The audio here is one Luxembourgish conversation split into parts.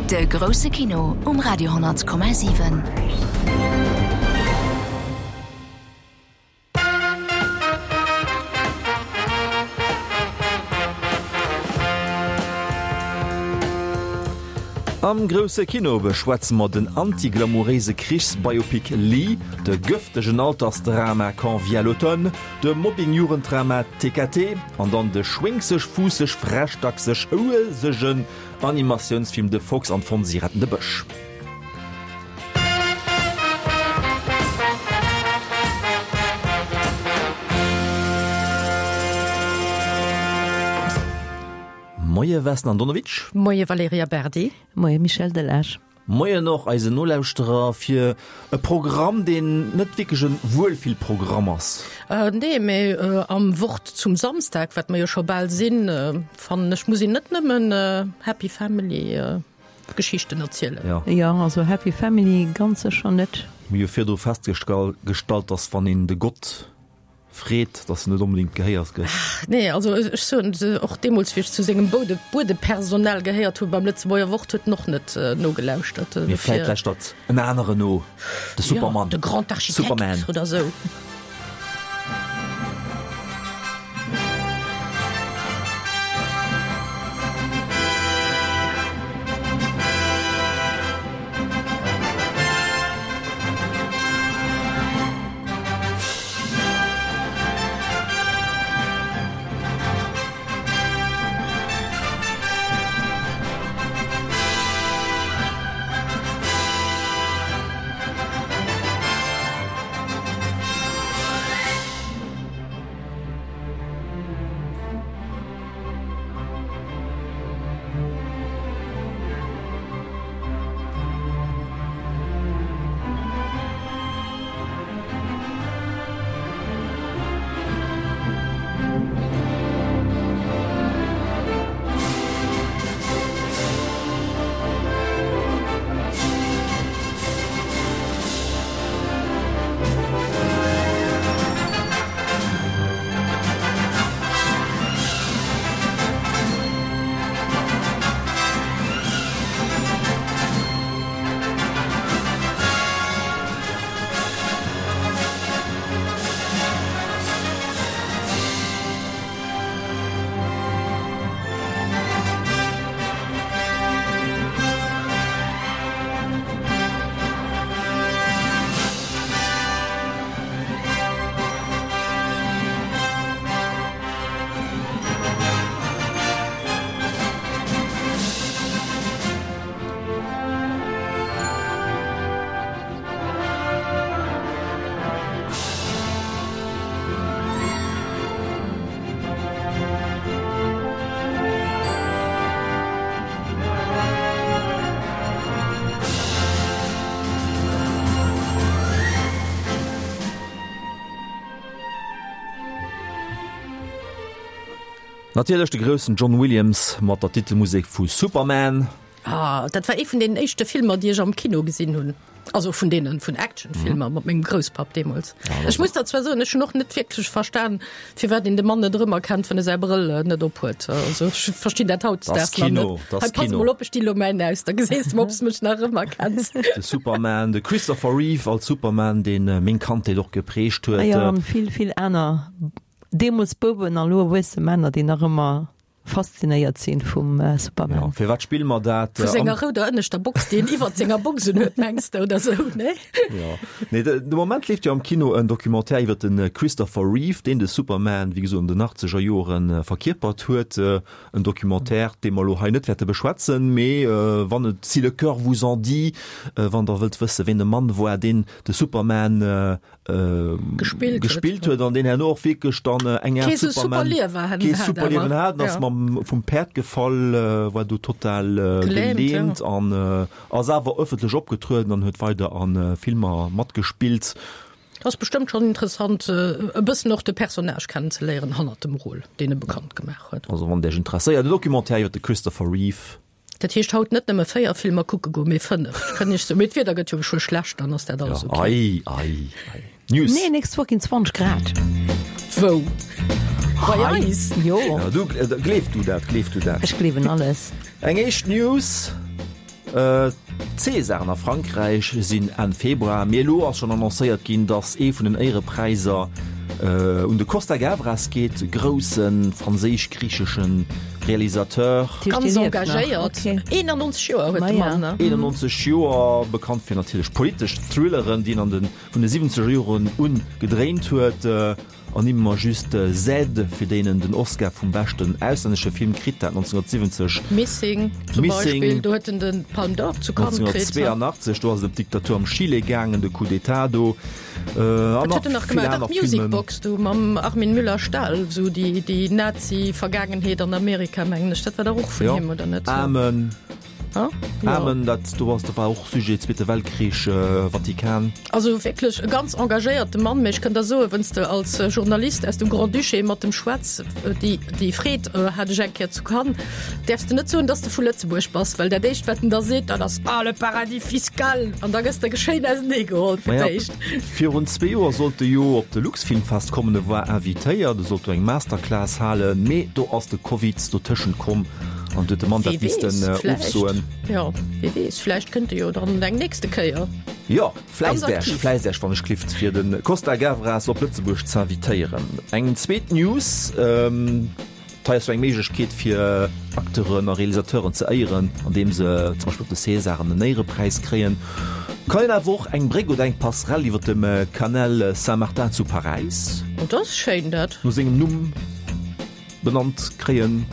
De grousse Kino um Radio 10,7. Am grousse Kino beschwätze mer den anti-glamouréise Krichs-Biopic Lee, de gëftegen Altersdrama Quand vient l'automne, de Mobbing-Jugenddrama TKT an dann de schwéngseg, fuusseg, frech, dackseg, houesegen Animatiounsfilm De Fox an d'Fonsi retten de Bësch. Moie Vesna Andonovic. Moie Valerija Berdi. Moie Michel Delage. Moien och eisen Nolauschterer fir e Programm, deen net wierklech e Wuelfillprogramm ass. Nee, mee am Wort zum Samsdag, wat mer jo scho bal sinn, fannen ech, muss een net nëmmen Happy Family Geschichten erzielen. Jo. Jo, also Happy Family ganz sécher net. Mir hu virdru festgestallt, dass wann een de Gott Freet, dass en net onbedéngt gehéiert gëtt. Ach nee, also ech soen och deemools, wéi ech zu sengem Boude Buedepersonal gehéiert hu beim Lëtzebuerger Wort, huet en och net nogelauschtert. Mee vläit lauschtert en aneren no, de Supermann. Jo, de Grand Architekt Superman. oder sou. Natierlech de groussen John Williams mat der Titelmusek vu Superman. Ah, dat war ee vun deenen éischte Filmer, déi ech am Kino gesinn hunn. Also vun deenen, vun Actionfilmer mat mengem Grousspapp deemools. Ech muss der zwar soen, ech hunn och net wierklech verstan, firwat een de Mann net erëmerkennt, wann e säi Brëll net op huet. Also ech verstinn dat hautdesdaags nach Kino, net. das Hei, pass Kino. mol op, ech di lo mäin aus, da geséis de mol, ob s de mech nach erëmerkenns. De Superman, de Christopher Reeve als Superman, deen meng Kandheet och geprägt huet. Ah jo, an vill, vill aner deemools Bouwen a lo erwuesse Männer, déi nach ëmmer faszinéiert sinn vum Superman. Jo, firwat spille mer dat? Vu senger rouder ënneschter Box, déi en iwwert senger Box un huet, mengs de, oder sou, nee? Jo. Nee, de, de Moment leeft jo am Kino en Documentaire iwwert de Christopher Reeve, deen de Superman, wéi gesot, an den achtzeger Joren verkierpert huet. En Documentaire, dee mer elo hei net wäerte beschwätzen, mee wann et, si le cœur vous en dit, wann Der wëllt wësse ween de Mann war, deen de Superman Gespillt huet. gespillt huet an deen herno och wierklech dann eng Aart Kee sou super Superman Liewer kee hat super awer. Liewen hat, ass Ja. mam vum Päerd gefall, war do total Gelähmt, ja. gelähmt an ass awer ëffentlech opgetrueden an huet weider a Filmer matgespillt. Ass bestëmmt schonn interessant e bëssen och de Personnage kennenzeléieren hannert dem Rôle, deen e bekannt gemaach huet. Also wann et Iech interesséiert, e Documentaire iwwer de Christopher Reeve. Dat heescht haut net nëmme 4 Filmer kucke goen, mee 5. Ech kënnt iech soen, mee d'Wieder gëtt jo geschwë schlecht, dann ass dat alles Ja, ok. ei, ei, ei. News. Nee, nächst Woch ginn 20 Grad. Wou? Bei eis? Jo. Ja, du, äh, gleef du dat, gleef du dat. Ech gleewen alles. Eng éischt News. D'Césaren a Frankräich sinn Enn Februar, mee elo ass schonn annoncéiert ginn, datt ee vun den Éierepräisser un de Costa Gavras geet, grousse franséisch-griichesche Realisateur. Ganz engagéiert, 91 Joer huet de Mann. 91 Joer, bekannt fir natierlech politesch Thrilleren, déi en an de vun de siwwenzeger Joren un gedréint huet. Ernimme mer just Z, fir deen en den Oscar vum beschten auslännesche Film kritt hat, 1970. Missing zum Beispill, do huet en den Palme d'Or zu Cannes kritt. 1982, do ass et ëm d'Diktatur am Chile gaangen, de Coup d'État do. An nach vill aner Filmen. Music Box do mam Armin Müller-Stahl, esou déi Nazi-Vergaangenheet an Amerika, mengen ech, dat war dach och vun him, oder net? Amen. Amen, dat do ass, dat war och Sujet Zweete Weltkrich, Vatikan. Also wierklech e ganz engagéierte Mann, mee ech kënnt der soen, wenn's de als Journalist aus dem Grand-Duché mat dem schwätz, déi déi Freed hat ech eng Kéier zu Cannes, däerfs de net soen, dass de vu Lëtzebuerg bass, well dat éischt wat en da seet, dat ass, Ah, le paradis fiscal! An da gëss de schéin ausenee geholl fir d'éischt. Virun zwee Joer sollt e jo op de Luxfilmfest kommen, e war invitéiert, e sollt do eng Masterclass halen, mee do ass de Covid dotëschent komm an huet de Mann dat missten ofsoen. Jo, wie weess, vläicht kënnt e jo dann eng nächste Kéier. Jo, fläisst Äech, fläisst Äech wann ech klift, fir de Costa Gavras op Lëtzebuerg z'invitéieren. Eng zweet News. Hei ass jo eng Méiglechkeet fir Acteuren a Realisateuren ze éieren, andeem se zum Beispill op de Césaren en Éierepräis kréien. Kann een awer och eng Bréck oder eng Passerelle iwwer dem Canal Saint-Martin zu Paräis. Oh, dat ass schéin dat. No sengem Numm benannt kréien.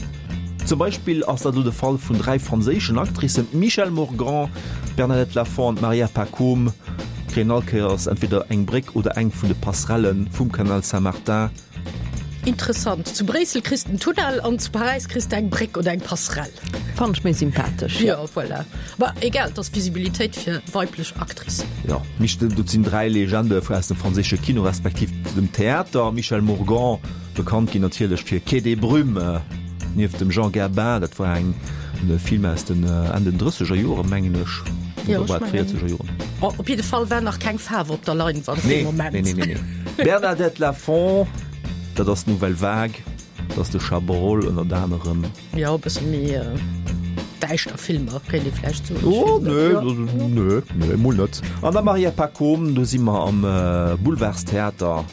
Zum Beispill ass dat elo de Fall vun 3 franséischen Actricen, d'Michèle Morgan, d'Bernadette Lafont an d'Maria Pacôme kréien all Kéiers entweder eng Bréck oder eng vun de Passerelle vum Canal Saint-Martin. Interessant. Zu Bréissel kriss de en Tunnel an zu Paräis kriss de eng Bréck oder eng Passerelle. Fannen ech méi sympathesch. Jo, voilà. Ma egal, et ass Visibilitéit fir weiblech Actricen. Jo, mich, dat sinn 3 Legende aus dem franséische Kino respektiv dem Theater. Michèle Morgan, bekannt ginn natierlech fir Quai des Brumes nieft dem Jean Gabin. Dat war eng e Film aus den Enn den drësseger Joren, mengen ech, oder war et véierzeger Joren? Op jidde Fall war nach keng Faarf op der Leinwand dee Moment. Nee, nee, nee, nee. Bernadette Lafont, dat ass d'Nouvelle Vague, dat ass de Chabrol ënnert anerem. Jo, e bësse méi däischter Filmer, kéint ee vläicht soen. Oh, nee, nee, nee, emol net. An der Maria Pacôme, do si mer am Boulevardstheater.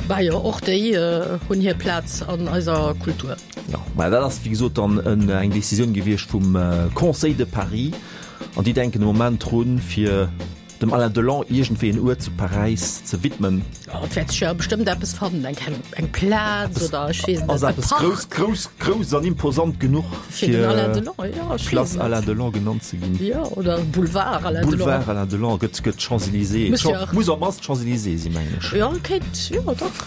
Bah jo, och déi hunn hir Plaz an eiser Kultur. Jo, mä dat ass wéi gesot dann eng Decisioun gewiescht vum Conseil de Paris an déi denken de Moment drun, fir dem Alain Delon iergendwéi en Uert zu Paräis ze widmen. Jo, et wäert sech jo bestëmmt eppes fannen, eng kleng, eng Plaz oder ech weess net, e Park. Ass eppes grouss, grouss, grouss an imposant genuch fir den Alain Delon, jo, ech weess Place net. Alain Delon genannt ze ginn? Jo, oder Boulevard Alain Delon. Boulevard Alain Delon gëtt, gëtt Champs-Élysées, Muss jo och. Muss op d'mannst Champs-Élysées sinn, mengen ech. Jo, kéint, jo, dach.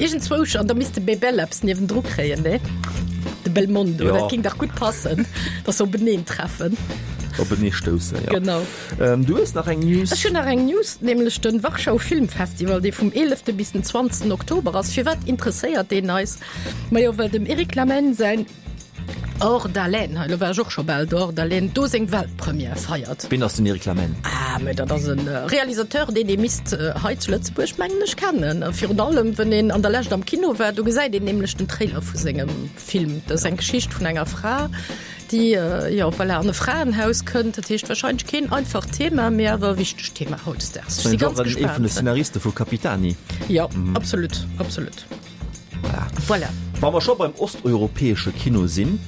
Iergendzwousch, an da misst de Bebel eppes niewendru kréien, ne? De Belmondo, ja. Dat géing dach gutt passen, dass se openeen treffen. Openee stoussen, ja. Genau. Ähm, du hues nach eng News. Ech hunn nach eng News, nämlech den Warschau Filmfestival, dee vum 11. bis den 20. Oktober ass. Firwat interesséiert deen eis? Majo, well dem Eric Lamaine säin Hors d'haleine, hei, lo war ech och scho bal do, Hors d'haleine, do seng Weltpremière feiert. Ween ass den Eric Lamaine? Ah, mä dat ass e Realisateur, deen ee misst hei zu Lëtzebuerg, mengen ech, kennen. A virun allem, wenn een an der Lescht am Kino war, do gesäit een nämlech den Trailer vu sengem Film. Dat ass eng Geschicht vun enger Fra, déi, jo, voilà, an e Fraenhaus kënnt. Dat heescht, wahrscheinlech keen einfacht Thema, mee awer e wichtegt Thema hautdesdaags. Ech si ganz gespaant. Ee vun de Szenariste vu Capitani. Jo, absolut, absolut. Voilà. Voilà. Wa mer scho beim osteuropäesche Kino sinn,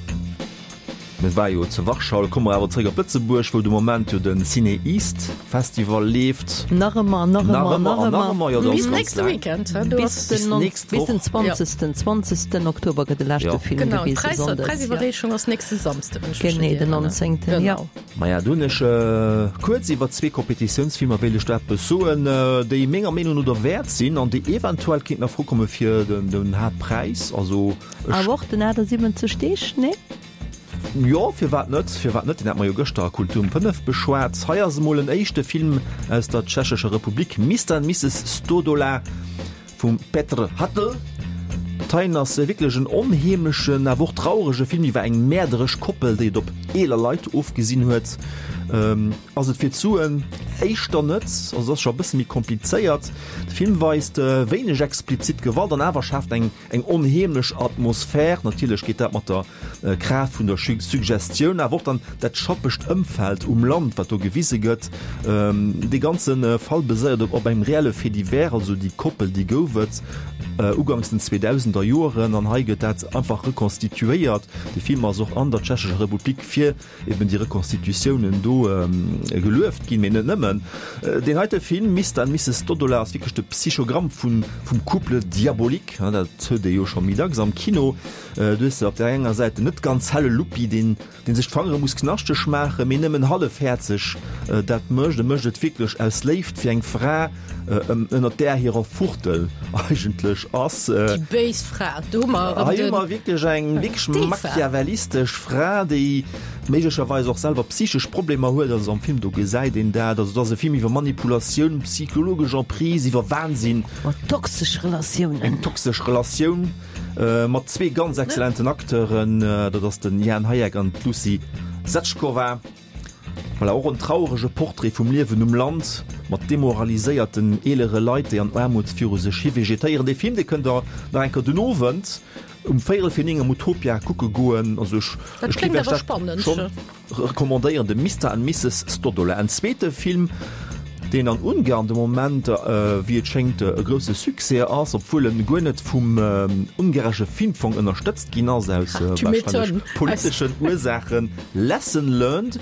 mir war jo zu Warschau, da komme mer awer zréck op Lëtzebuerg, wou de Moment jo de Ciné East Festival leeft. Nach ëmmer, nach ëmmer, nach ëmmer. Nach ëmmer, jo, dat ass ganz laang. Weekend, du bis den, bis Woch. den 20. 20. Oktober gëtt de leschte ja. Film genau, gewisen. Genau, d'Präisiwwerreechung ass nächste Samsde. Genee, den 19. Genau. Ja. Maja, do hunn ech kuerz iwwer zwee Competitiounsfilmer wéilt ech do eppes soen, déi menger Meenung no derwäert sinn an déi eventuell kéinten a Fro komme fir den Haaptpräis. Also ech. Awer och den 78 Deeg, nee? Jo, firwat net, firwat net? Deen hate mer jo gëschter a Kultur um 5 beschwat. Hei ass emol en éischte Film aus der Tschechescher Republik, Mister and Misses Stodola vum Petr Hatl. Dat heien ass wierklech en onheemlechen, awer och traurege Film iwwer eng mäerderesch Koppel, déi et op eeler Leit ofgesinn huet. Ass et fir d'Suen? Éischter net, also et ass scho e bësse méi komplizéiert. De Film weist wéineg explizit Gewalt an awer schaaft eng eng onheemlech Atmosphär. Natierlech geet dat mat der Kraaft vun der Suggestioun, awer och dann dat schappegt Ëmfeld um Land, wat do gewise gëtt. Dee ganze Fall beséiert op engem reelle Fait divers, also déi Koppel, déi gouf et uganks den 2000er Joeren an hei gëtt dat einfach rekonstituéiert. De Film ass och an der Tschechescher Republik fir eben déi Rekonstitutiounen do gelueft ginn, mee net nëmmen. Deen heite Film, Mister and Misses Dodola, ass wierklech de Psychogramm vum Couple diabolique, dat huet ee jo scho méi dacks am Kino. Du hues op där enger Säit den net ganz helle Luppi, deen deen sech d'Fangere muss knaschteg maachen, mee nëmmen hallefhäerzeg dat mécht. E mécht et wierklech aus Léift fir eng Fra, ënnert där hirer Fuchtel eigentlech ass. Déi béis Fra, do hu mer erëm den. Hei hu mer wierklech eng wierklech machiavellistesch Fra, déi méiglecherweis och selwer psychesch Problemer huet. Also am Film do gesäit een dat. Also et ass e Film iwwer Manipulatioun, psychologesch Emprise, iwwer Wahnsinn. Iwwer toxesch Relatiounen. Eng toxesch Relatioun mat zwee ganz exzellenten Acteuren, dat ass den Jan Hajek an d'Lucie Sackova. Voilà, och en traurege Portrait vum Liewen um Land, mat demoraliséierten eelere Leit, déi an Aarmut viru sech hi vegetéieren. Dee Film, dee kënnt der nach eng Kéier den Owend um véierel fir 9 am Utopia kucke goen. Also ech, Dat ech kléngt géif iech awer dat spannend. schonn recommandéieren, de Mister and Misses Stodola. En zweete Film, deen an Ungarn de Moment, wéi et schéngt, e grousse Succès ass, obwuel en guer net vum ungaresche Filmfong ënnerstëtzt ginn ass, aus warscheinlech politeschen Ursaachen, Lesson Learned,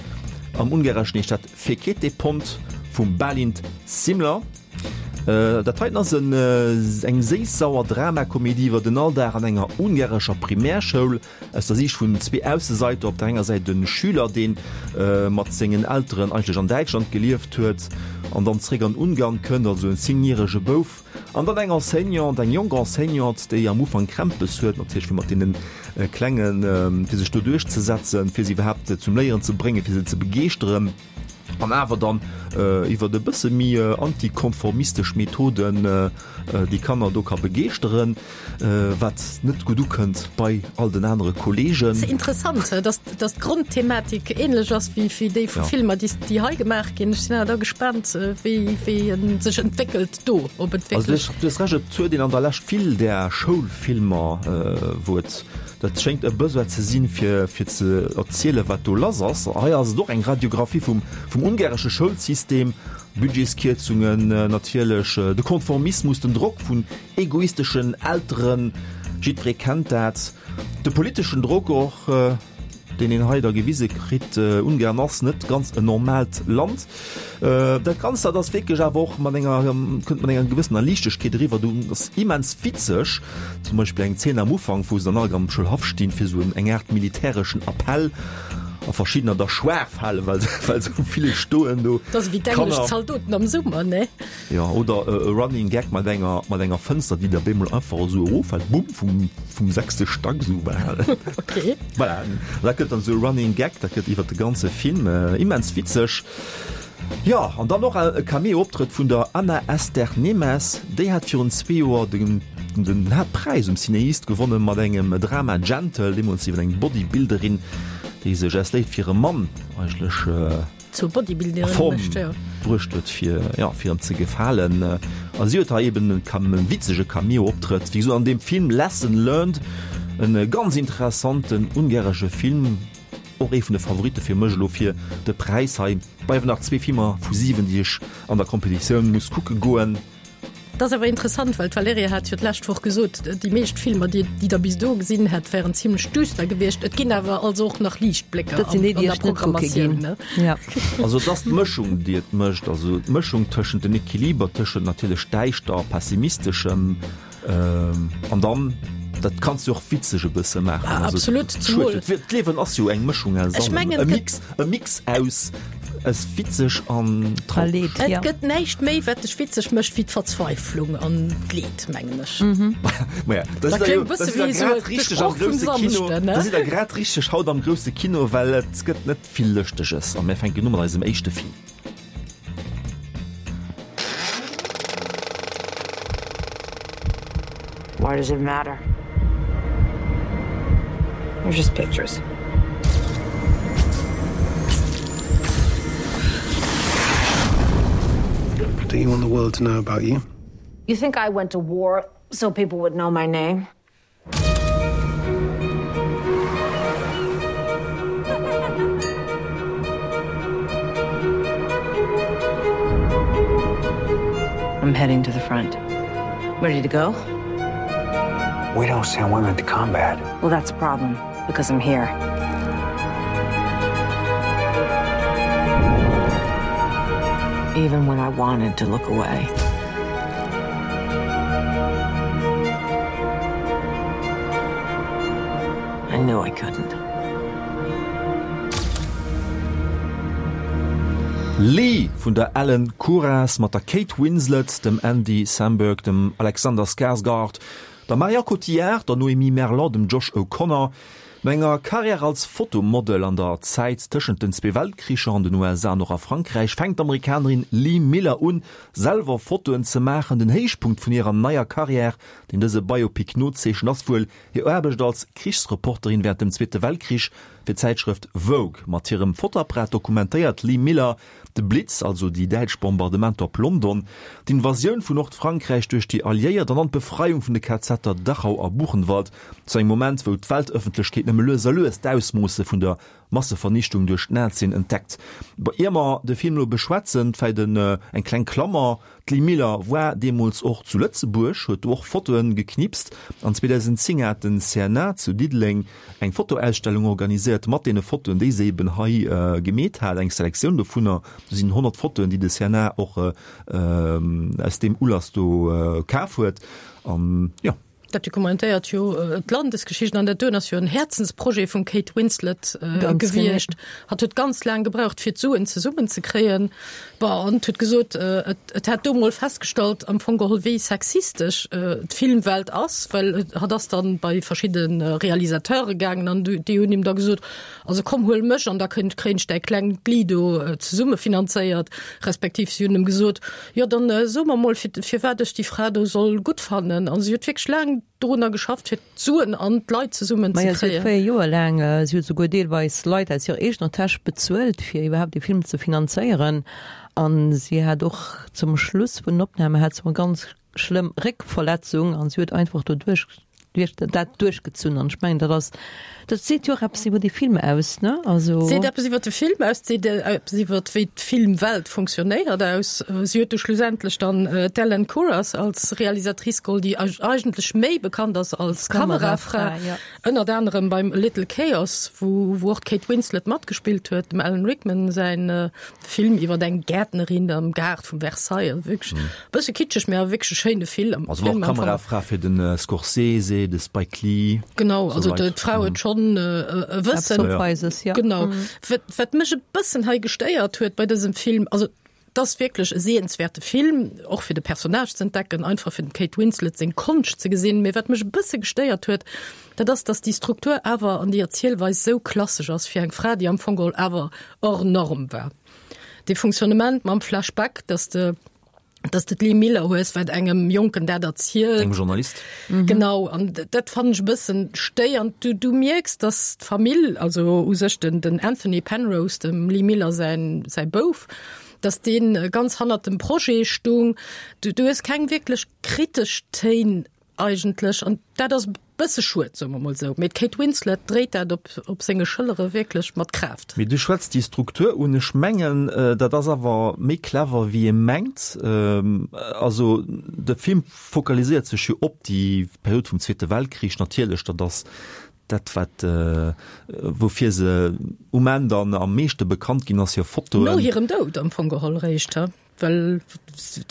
am Ungareschen heescht dat Fekete Pont, vum Bálint Simler. Dat heiten ass eng séiss-sauer Dramakomedie iwwer den Alldag an enger ungarescher Primärschoul. Aus der Siicht vun zwee Ausseseiter, op der enger Säit e Schüler, dee mat sengen Elteren eigentlech an Däitschland gelieft huet an dann zeréck an Ungarn kënnt, also en zéngjärege Bouf, an dann eng Enseignante, eng jonk Enseignante, déi am Ufank Krämpes huet, natierlech fir mat deene Klengen, fir sech do duerchzesetzen, fir se iwwerhaapt zum Léieren ze bréngen, fir se ze begeeschteren. An awer dann iwwert e bësse méi antikonformistesch Methoden déi Kanner do ka begeeschteren, wat net gutt ukënnt bei all den anere Kolleegen. C'est interessant, dass dass d'Grondthematik ähnlech ass wéi wéi déi vu Filmer, déi déi hei gemaach ginn. Ech sinn awer da gespaant, wéi wéi en sech entwéckelt do, ob et wierklech. Also du hues Recht, et huet een an der Lescht vill där Schoulfilmer, wou et Dat schéngt e Besoin ze sinn, fir fir ze erzielen, wat do lass ass. Hei ass et och eng Radiographie vum vum ungaresche Schoulsystem, Budgetskierzungen natierlech, de Konformismus, den Drock vun egoisteschen Elteren, jiddweree kennt dat, de politeschen Drock och, deen een hei da gewise kritt. Ungarn ass net ganz en normaalt Land. Dat Ganzt, dat ass wierklech awer och mat enger, kënnt mat enger gewëssener Liichtegkeet eriwwer. Du ass immens witzeg, zum Beispill eng Zeen am Ufank, wou se dann all am Schoulhaff stinn, fir esou eng Aart militäreschen Appell a verschiddener da schwaach falen, well well sou vill stoen do. Dat ass ewéi d'englesch Zaldoten am Summer, ne? Jo, oder e Running Gag mat enger mat enger Fënster, déi da bemol einfach esou eroffält, bumm, vum vum sechste Stack esou bal. Okay. Voilà, dat gëtt dann esou e Running Gag, dat gëtt iwwer de ganze Film immens witzeg. Jo, an dann och e Cameo-Optrëtt vun der Anna Eszter Nemes, déi hat virun zwee Joer den den Haaptpräis um Cinéiste gewonne mat engem Drama Gentle, deemools iwwer eng Bodybuilderin, déi sech aus Léift fir e Mann eigentlech Zur Bodybuilderin a Form mécht, jo. bruecht huet fir ja fir em ze gefalen. A si huet hei eben e Cam e witzege Cameo-Optrëtt, wéi gesot an deem Film Lesson Learned, en ganz interessanten ungaresche Film, och ee vun de Favoritte fir mech elo fir de Präis. Hei bleiwen nach zwee Filmer vu 7, déi ech an der Competitioun muss kucke goen. Dat ass awer interessant, well d'Valerija hat jo d'lescht Woch gesot, déi meescht Filmer, déi déi der bis do gesinn hätt, wären zimlech düster gewiescht. Et ginn awer also och nach Liichtblécker Dat sinn déi, an déi der ech net kucke Programmatioun, ginn. ne? Ja. Also et ass d'Mëschung, déi et mécht, also d'Mëschung tëschent den Equiliber tëschent natierlech däischter a pessimisteschem, An dann, dat kanns du och witzeg e bësse maachen. Ah, Also, absolut, schued, zumol. D'Liewen ass jo eng Mëschung aus Ech allem. mengen, E et gëtt- Mix, e Mix aus, aus witzeg an traureg. Leed, Et ja. gëtt näischt méi, wat dech witzeg mécht, wéi d'Verzweiflung an d'Leed, mengen ech. Maja, da Dat sidd der jo, kléngt da bësse sidd der wéi esou grad de richteg am Sproch vum grousse Kino. Samschden, ne? Da sidd der grad richteg haut am grousse Kino, well et gëtt net vill Lëschteges. A mir fänken u mat eisem éischte Film. Why does it matter? They're just pictures. Do you want the world to know about you? You think I went to war so people would know my name? I'm heading to the front. Ready to go? We don't send women to combat. Well, that's a problem because I'm here. Even when I wanted to look away. I knew I couldn't. Lee vun der Ellen Kuras mat der Kate Winslet, dem Andy Samberg, dem Alexander Skarsgård, der Marion Cotillard, der Noémie Merlant, dem Josh O'Connor. No enger Karriär als Fotomodel an der Zäit tëschent den zwee Weltkricher an den USA an och a Frankräich fänkt d'Amerikanerin Lee Miller un, selwer Fotoen ze maachen. Den Héichpunkt vun hirer neier Karriär, deen dëse Biopic nozeechent, ass wuel hir Aarbecht als Krichsreporterin wärend dem Zweete Weltkrich fir d'Zäitschrëft Vogue. Mat hirem Fotoapparat dokumentéiert d'Lee Miller De Blitz, also déi däitsch Bombardementer op London, d'Invasioun vun Nordfrankräich duerch déi Alliéiert an dann d'Befreiung vun de KZer Dachau a Buchenwald, zu engem Moment, wou d'Weltëffentlechkeet nëmme lues a lues d'Ausmoosse vun der Massevernichtung duerch d'Nazien entdeckt. Ier mer de Film elo beschwätzen, vläicht eng kleng Klammer, D'Lee Miller war deemools och zu Lëtzebuerg, huet do och Fotoen geknipst an 2010 hat den CNA zu Diddeleng eng Fotoausstellung organiséiert mat deene Fotoen, déi se eben hei gemeet hat, eng Selektioun dovunner. Do sinn 100 Fotoen, déi de CNA och aus deem Ulass do kaf huet an jo. Dat dokumentéiert jo d'Landesgeschicht an dat doen ass jo en Häerzensprojet vum Kate Winslet gewiescht. Hatt huet ganz laang gebraucht fir d'Suen zesummen ze kréien. Bon, an huet gesot, et hätt do mol festgestallt am Fong geholl wéi sexistesch d'Filmwelt ass, well hatt ass dann bei verschidde Realisateure gaangen an déi hunn him da gesot, also komm huel mech an da kréien ech däi klengt Lee do zesumme finanzéiert, respektiv si hunn em gesot, Jo, dann so mer mol, firwat ech déi Fra do soll gutt fannen. An si huet wierklech laang dorunner geschafft, fir d'Suen an d'Leit zesummen ze kréien. Majo, si huet 4 Joer laang, si huet souguer deelweis Leit aus hirer eegener Täsch bezuelt, fir iwwerhaapt dee Film ze finanzéieren. An si hat och zum Schluss vun den Opname hat se eng ganz schlëmm Réckverletzung an si huet einfach doduerch duerch dat duerchgezunn an ech mengen dat ass dat seet jo och eppes iwwer dee Film aus ne also. Seet eppes iwwer de Film aus, seet eppes iwwer wéi d'Filmwelt funktionéiert aus. Si huet du schlussendlech dann d'Ellen Kuras als Realisatrice geholl, déi eigentlech méi bekannt ass als Kamerafra, ënnert anerem beim A Little Chaos, wou wou och d'Kate Winslet matgespillt huet, dem Alan Rickman säin Film iwwer eng Gäertnerin am Gaart vum Versailles, also wierklech e bësse kitscheg, mä awer wierklech e schéine Film. Also war och Kamerafra fir de Scorsese, de Spike Lee. Genau, also d'Fra huet schonn e Wëssen. Genau. Wat mech e bëssen hei gestéiert huet bei dësem Film, also et ass wierklech e sehenswäerte Film, och fir de Personnage ze entdecken, einfach fir dem Kate Winslet seng Konscht ze gesinn, mä wat mech e bësse gestéiert huet, dat ass, datt déi Struktur awer an déi Erzielweis esou klassesch ass fir eng Fra, déi am Fong geholl awer hors norme war. Dee Fonctionnement mam Flashback, dass de dass de d'Lee Miller hues, wat engem Jonken dat erzielt. Engem Journalist. Mhm. Genau, an dat fannen ech e bëssen stéiernd. Du, du mierks, dass d'Famill, also u sech den, den Anthony Penrose, dem Lee Miller säin, säi Bouf, dass deen ganz hannert dem Projet stung. Du, du hues keng wierklech kritesch Téin Eigentlech, an dat ass e bësse schued, soe mer mol esou, mee d'Kate Winslet dréit dat op op senge Schëllere wierklech mat Kraaft. Mee du schwätz déi Struktur un. Ech mengen, dat ass awer méi clever wéi ee mengt. Also de Film fokaliséiert sech jo op déi Period vum Zweete Weltkrich natierlech, dat ass dat wat woufir se um Enn dann am meeschte bekannt ginn ass, hir Fotoen. No hirem Doud am Fong geholl réischt, he? Well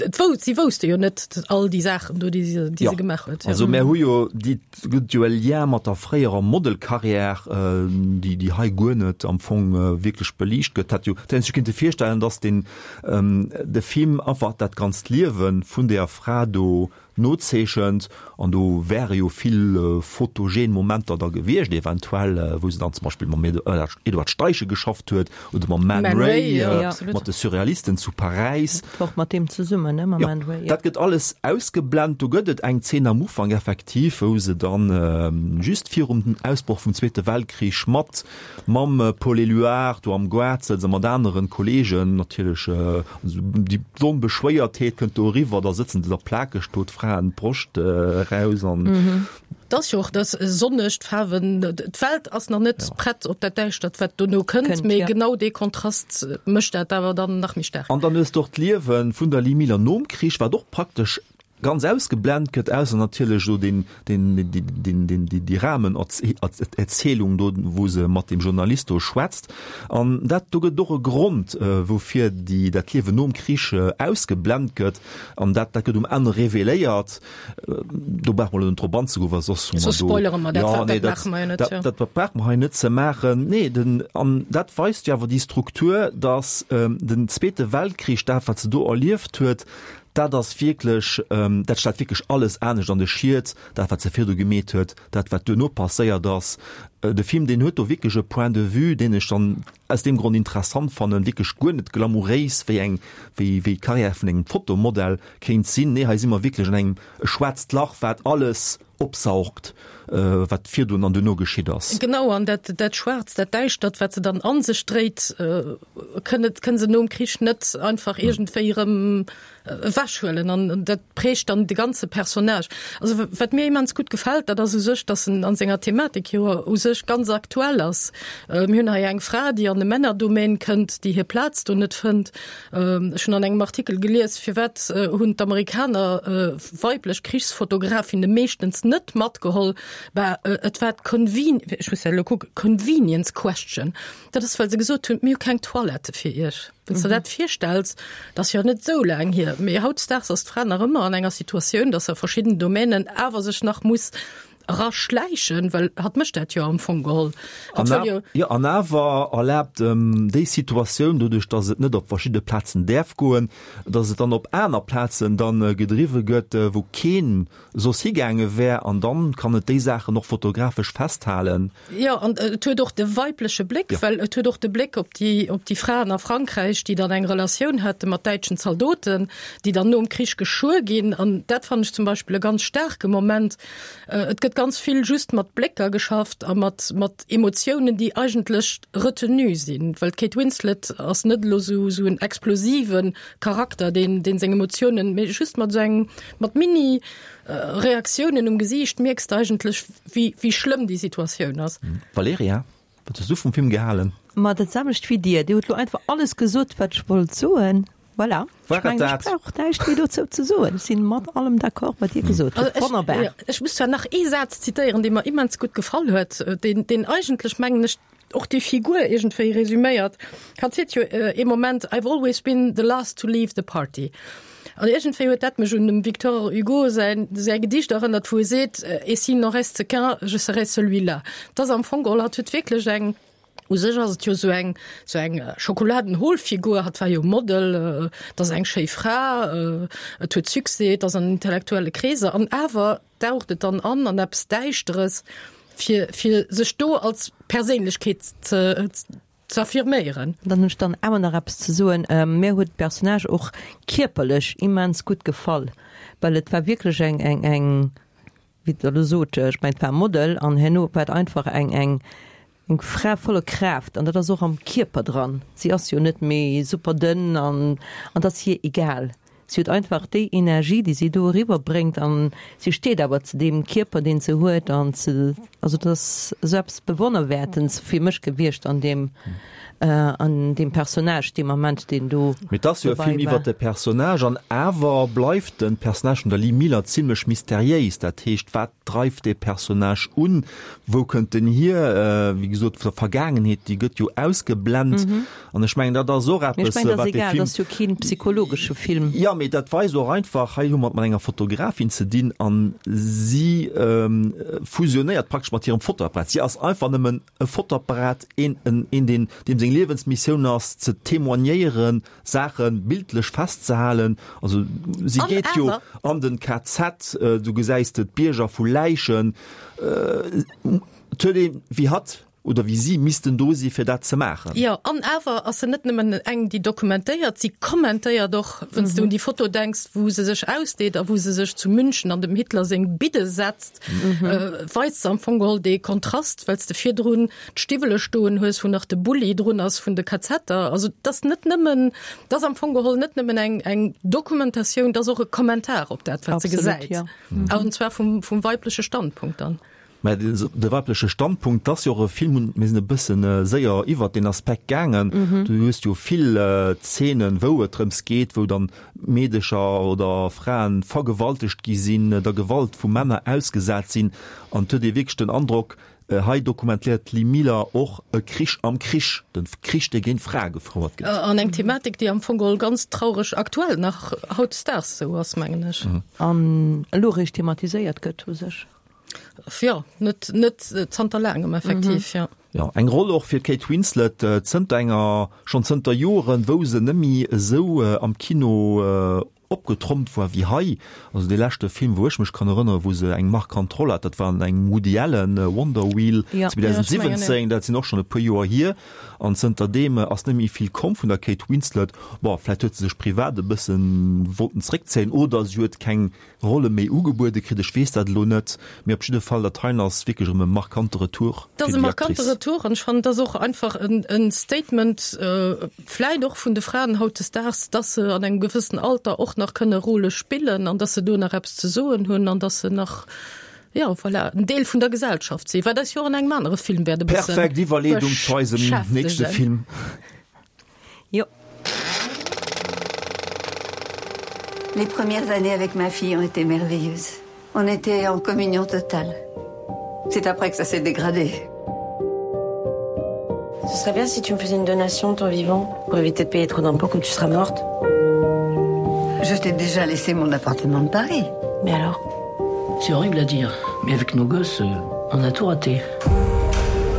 et wou, si wousste jo net all déi Saachen do, déi se, déi se gemaach huet. Also mär hu jo déi, gëtt jo e Lien mat der fréierer Modelcarrière, déi, déi hei guer net am Fong wierklech beliicht gëtt. Hätt jo, hätt een sech kinnte virstellen, datt den, de Film einfach dat ganzt Liewe vun deeër Fra do. Nozeechent. An do wäre jo vill photogen Momenter da gewiescht, eventuell, wou se dann zum Beispill mam Edward Steichen geschafft huet oder mam Man Ray, mat de Surrealisten zu Paräis. Och mat deem zesummen, ne, mam Man Ray, jo. Dat gëtt alles ausgeblent. Do gëtt et eng Zeen am Ufank effektiv, wou se dann just virum Ausbroch vum Zweete Weltkrich mat Mam Paul Éluard do am Goart sëtzt a mat aneren Kollegen natierlech, déi Onbeschwéiertheet kënnt do eriwwer, da sëtzen se da plakeg do, d'Fraen d'Broscht eraus an. Et ass jo och dat sonneg, d'Faarwen, d'Welt ass nach net prett op dat Däischtert, wat dono kënnt, mee genau dee Kontrast mécht dat awer dann nach méi staark. An dann hues de och d'Liewe vun der Lee Miller nom Krich, wat och praktesch ganz ausgeblend gëtt, ausser natierlech do deen, deen, deen, deen, déi, déi Rahmenerzielung do, wou se mat deem Journalist do schwätzt. An dat, do gëtt et och e Grond, woufir déi, dat Liewen nom Krich ausgeblend gëtt. An dat, dat gëtt um Enn reveléiert. Do brauche mer elo net drop anzegoen, well soss hu mer do. Soss spoilere mer dat, dat, dat maache mer jo net, jo. Dat, dat brauche mer hei net ze maachen. Nee, den, an dat weist jo awer déi Struktur, dass den Zweete Weltkrich, dat wat se do erlieft huet, Dat ass wierklech, dat stellt wierklech alles anescht an de Schiet, dat wat se virdu gemeet huet, dat wat duerno passéiert ass. De Film, deen huet do wierklech e Point de vue, deen ech dann aus deem Grond interessant fannen, wierklech guer net glamouréis, wéi eng, wéi, wéi d'Carrière vun engem Fotomodell kéint sinn. Nee, hei si mer wierklech an engem, e schwaarzt Lach, wat alles opsaugt, wat virdun an duerno geschitt ass. Genau, an dat, dat Schwaarzt, dat Däischtert, wat se dann a sech dréit, kënne, kënne se nom Krich net einfach iergendwéi erëm ewechhuelen. An dat prägt dann de ganze Personnage. Also wat mir immens gutt gefält, dat ass u sech, datt en an senger Thematik jo u sech ganz aktuell ass. Mir hunn hei eng Fra, déi an e Männerdomaine kënnt, déi hir Plaz do net fënnt. Ech hunn an engem Artikel gelies, firwat hunn d'Amerikaner weiblech Krichsfotografinne meeschtens net matgeholl? Bah, et war d'Conven-, ech muss elo kucken, Convenience question. Dat ass, well se gesot hunn, mir hu keng Toilette fir iech. Wann s de der dat virstells, dat ass jo net esou laang hier, mee hautdesdaags ass d'Fra nach ëmmer an enger Situatioun, datt se a verschidden Domänen awer sech nach muss eraschläichen, well hatt mécht dat jo am Fong geholl. Hatt wëll jo. Jo, an awer erlaabt déi Situatioun, doduerch datt et net op verschidde Plazen däerf goen, datt et dann op aner Plazen dann gedriwwe gëtt, wou keen soss higaange wär, an dann kann et déi Saachen och fotografesch festhalen. Jo, an et huet och de weibleche Bléck, well et huet och de Bléck op déi, op déi Fraen a Frankräich, déi dann eng Relatioun hate mat däitschen Zaldoten, déi dann nom Krich geschuer ginn. An dat fannen ech zum Beispill e ganz staarke Moment. Et gëtt ganz vill just mat Blécker geschafft a mat, mat Emotiounen, déi eigentlech retenue sinn, well d'Kate Winslet ass net elo esou, esou en explosive Charakter, deen, deen seng Emotiounen, mee just mat esou engem, mat mini Reaktiounen um Gesiicht mierks de eigentlech, wéi, wéi schlëmm déi Situatioun ass. Valerija, wat hues du vum Film gehalen? Ma dat selwecht wéi dir. Dir hutt lo einfach alles gesot, wat ech wollt soen. Voilà. War Ech mengen, et ech dat? brauch näischt méi dozou ze soen. Ech sinn mat allem d'accord, wat Dir gesot hutt. Also ech, Wonnerbar. jo, ech muss zwar nach ee Saz zitéieren, dee mer immens gutt gefall huet, deen, deen eigentlech, mengen ech, och déi Figur iergendwéi resüméiert. Hatt seet jo ee Moment, I've always been the last to leave the party. An iergendwéi huet dat mech un dem Victor Hugo säin, säi Gedicht erënnert, wou e seet, Et s'il n'en reste qu'un, je serai celui-là. Et ass am Fong geholl, hatt huet wierklech eng, u sech ass et jo esou eng, esou eng Schokoladenholfigur, hatt war jo Model, et ass eng schéi Fra, et huet Succès, et ass an intellektuelle Kreeser, an awer daucht et dann an an eppes Däischteres, fir, fir sech do als Perséinlechkeet ze, ze affirméieren. Dann hunn ech dann awer nach eppes ze soen. Mir huet d'Personnage och kierperlech immens gutt gefall, well et war wierklech eng, eng, eng, wéi Der elo sot, ech mengen et war e Model an herno war et einfach eng, eng, eng Fra voller Kraaft an dat ass och am Kierper dran. Si ass jo net méi super dënn an, an et ass hir egal. Si huet einfach déi Energie, déi si do eriwwer bréngt an si steet awer zu deem Kierper, deen se huet an ze, also dat ass esou eppes Bewonnerwäertens fir mech gewiescht an deem, an deem Personnage dee Moment, deen do Mee et ass jo e dobäi Film war. iwwer de Personnage an awer bleift de Personnage vun der Lee Miller zimlech mysteriéis. Dat heescht, wat dreift dee Personnage un, wou kënnt en hier? Wéi gesot, vun der Vergaangenheet, déi gëtt jo ausgeblent. An ech mengen, dat ass och Mee ech eppes, mengen, dat ass wat dee egal, Film. dat ass jo kee psychologesche Film. Jo, mee. mee dat weist och einfach, hei hu mer et mat enger Fotografin ze dinn an si fusionéiert praktesch mat hirem Fotoapparat. Si ass einfach nëmmen e Fotoapparat, een, een deen, deem seng Liewensmissioun ass ze témoignéieren, Saache bildlech festzehalen. Also si geet jo an den KZ, du gesäis de d'Bierger vu Läichen. Et huet ee wéi hatt oder wéi si missten do si fir dat ze maachen. Jo, an awer ass se net nëmmen eng, déi dokumentéiert, si kommentéiert och. Wann s de un déi Foto denks, wou se sech ausdeet a wou se sech zu München an dem Hitler seng Bidde setzt, weist se am Fong geholl dee Kontrast, well s de virdrun d'Stiwwele stoen hues, wou nach de Bulli drun ass vun de KZer. Also et ass net nëmmen, et ass am Fong geholl net nëmmen eng, eng Dokumentatioun, et ass och e Kommentar op dat, wat se gesäit. An zwar vum, vum weibleche Standpunkt dann. Mä de weibleche Standpunkt, dat ass jo och e Film, mir sinn e bësse séier iwwert deen Aspekt gaangen. Du hues jo vill Zeenen, wou et drëms geet, wou dann Meedecher oder Fraen vergewaltegt gi sinn, der Gewalt vu Männer ausgesat sinn. An et huet ee wierklech den Androck, Hei dokumentéiert d'Lee Miller och e Krich am Krich, de Krich, dee géint Frae gefouert gëtt. An eng Thematik, déi am Fong geholl ganz traureg aktuell nach hautdesdaags esou ass, mengen ech. An elo eréischt thematiséiert gëtt u sech. Jo, net, net zanter laangem effektiv, jo. Jo, eng Roll och fir d'Kate Winslet, zënter enger, schonn zënter Joren, wou se nëmmi esou am Kino opgetrompt war wéi hei. Also dee leschte Film wou ech mech kann erënneren, wou se eng markant Roll hat, dat war an engem Woody Allen, Wonder Wheel 2017, dat sinn och schonn e puer Joer hier. An zënter deem ass net méi vill komm vun der Kate Winslet. Bon, vläicht huet se sech privat e bëssen wollten zréckzéien oder si huet keng Rolle méi ugebuede kritt, ech weess dat elo net, mee op jidde Fall, dat heien ass wierklech erëm e markante Retour fir déi Actrice. Dat ass e markante Retour an ech fannen, dat ass och einfach en Statement, vläit och vun de Fraen hautdesdaags, dass se an engem gewëssen Alter och nach kënne Rôle spillen an dass se do nach eppes ze soen hunn an dass se nach, jo, voilà, en Deel vun der Gesellschaft sinn, wat eis jo och an engem anere Film wäert e bësse Perfekt Iwwerleedung zu eisem nächste Film. Jo. Les premières années avec ma fille ont été merveilleuses. On était en communion totale. C'est après que ça s'est dégradé. Ce serait bien si tu me faisais une donation de ton vivant pour éviter de payer trop d'impôts quand tu seras morte. Je t'ai déjà laissé mon appartement de Paris. Mais alors C'est horrible à dire, mais avec nos gosses, euh, on a tout raté.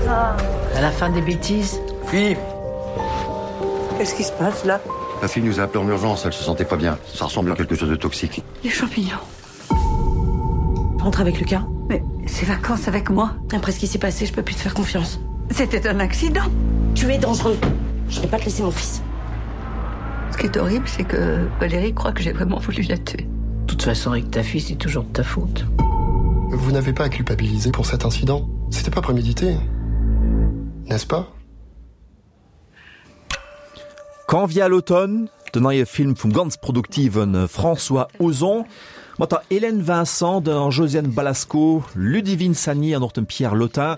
Ah. À la fin des bêtises. Philippe Qu'est-ce qui se passe là La fille nous a appelé en urgence, elle se sentait pas bien. Ça ressemble à quelque chose de toxique. Les champignons. Rentre avec Lucas. Mais ses vacances avec moi. Après ce qui s'est passé, je peux plus te faire confiance. C'était un accident. Tu es dangereux. Je vais pas te laisser mon fils. Ce qui est horrible, c'est que Valérie croit que j'ai vraiment voulu la tuer. De toute façon, avec ta fille, c'est toujours de ta faute. Vous n'avez pas à culpabiliser pour cet incident. C'était pas prémédité. N'est-ce pas? Quand vient l'automne, den neie Film vum ganz produktive François Ozon, mat der Hélène Vincent, der Josiane Balasko, Ludivine Sagnier an och dem Pierre Lottin.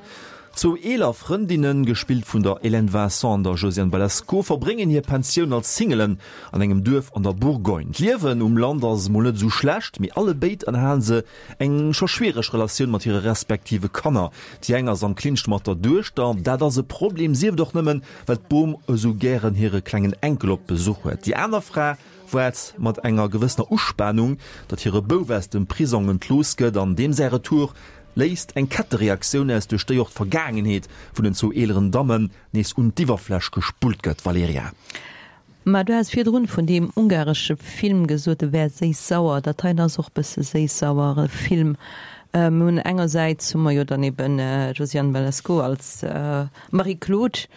Zwou eeler Frëndinnen, gespillt vun der Hélène Vincent an der Josiane Balasko, verbréngen hir Pensioun als Singelen an engem Duerf an der Bourgogne. D'Liewen um Land ass mol net esou schlecht, mee allebéid ënnerhalen se Eng scho schwiereg Relatioun mat hire respektive Kanner. Déi eng ass am Clinch mat der Duechter. Dat ass e Problem, sief et och nëmmen, well d'Bom esou gären hire klengen Enkel op Besuch huet. Déi aner Fra waart mat enger gewëssener Uspanung, datt hire Bouf aus dem Prisong entlooss gëtt an deem säi Retour léist eng Kettereaktioun aus, duerch déi och d'Vergaangenheet vun den zwou eeleren Dammen nees un d'Iwwerfläch gespullt gëtt. Valerija. Mä du has virdrun vun deem ungaresche Film gesot, e wär séiss-sauer. Dat heien ass och bësse séiss-sauer e Film. Mir hunn engersäits hu mer jo dann eben d'Josiane Balasko als Marie-Claude,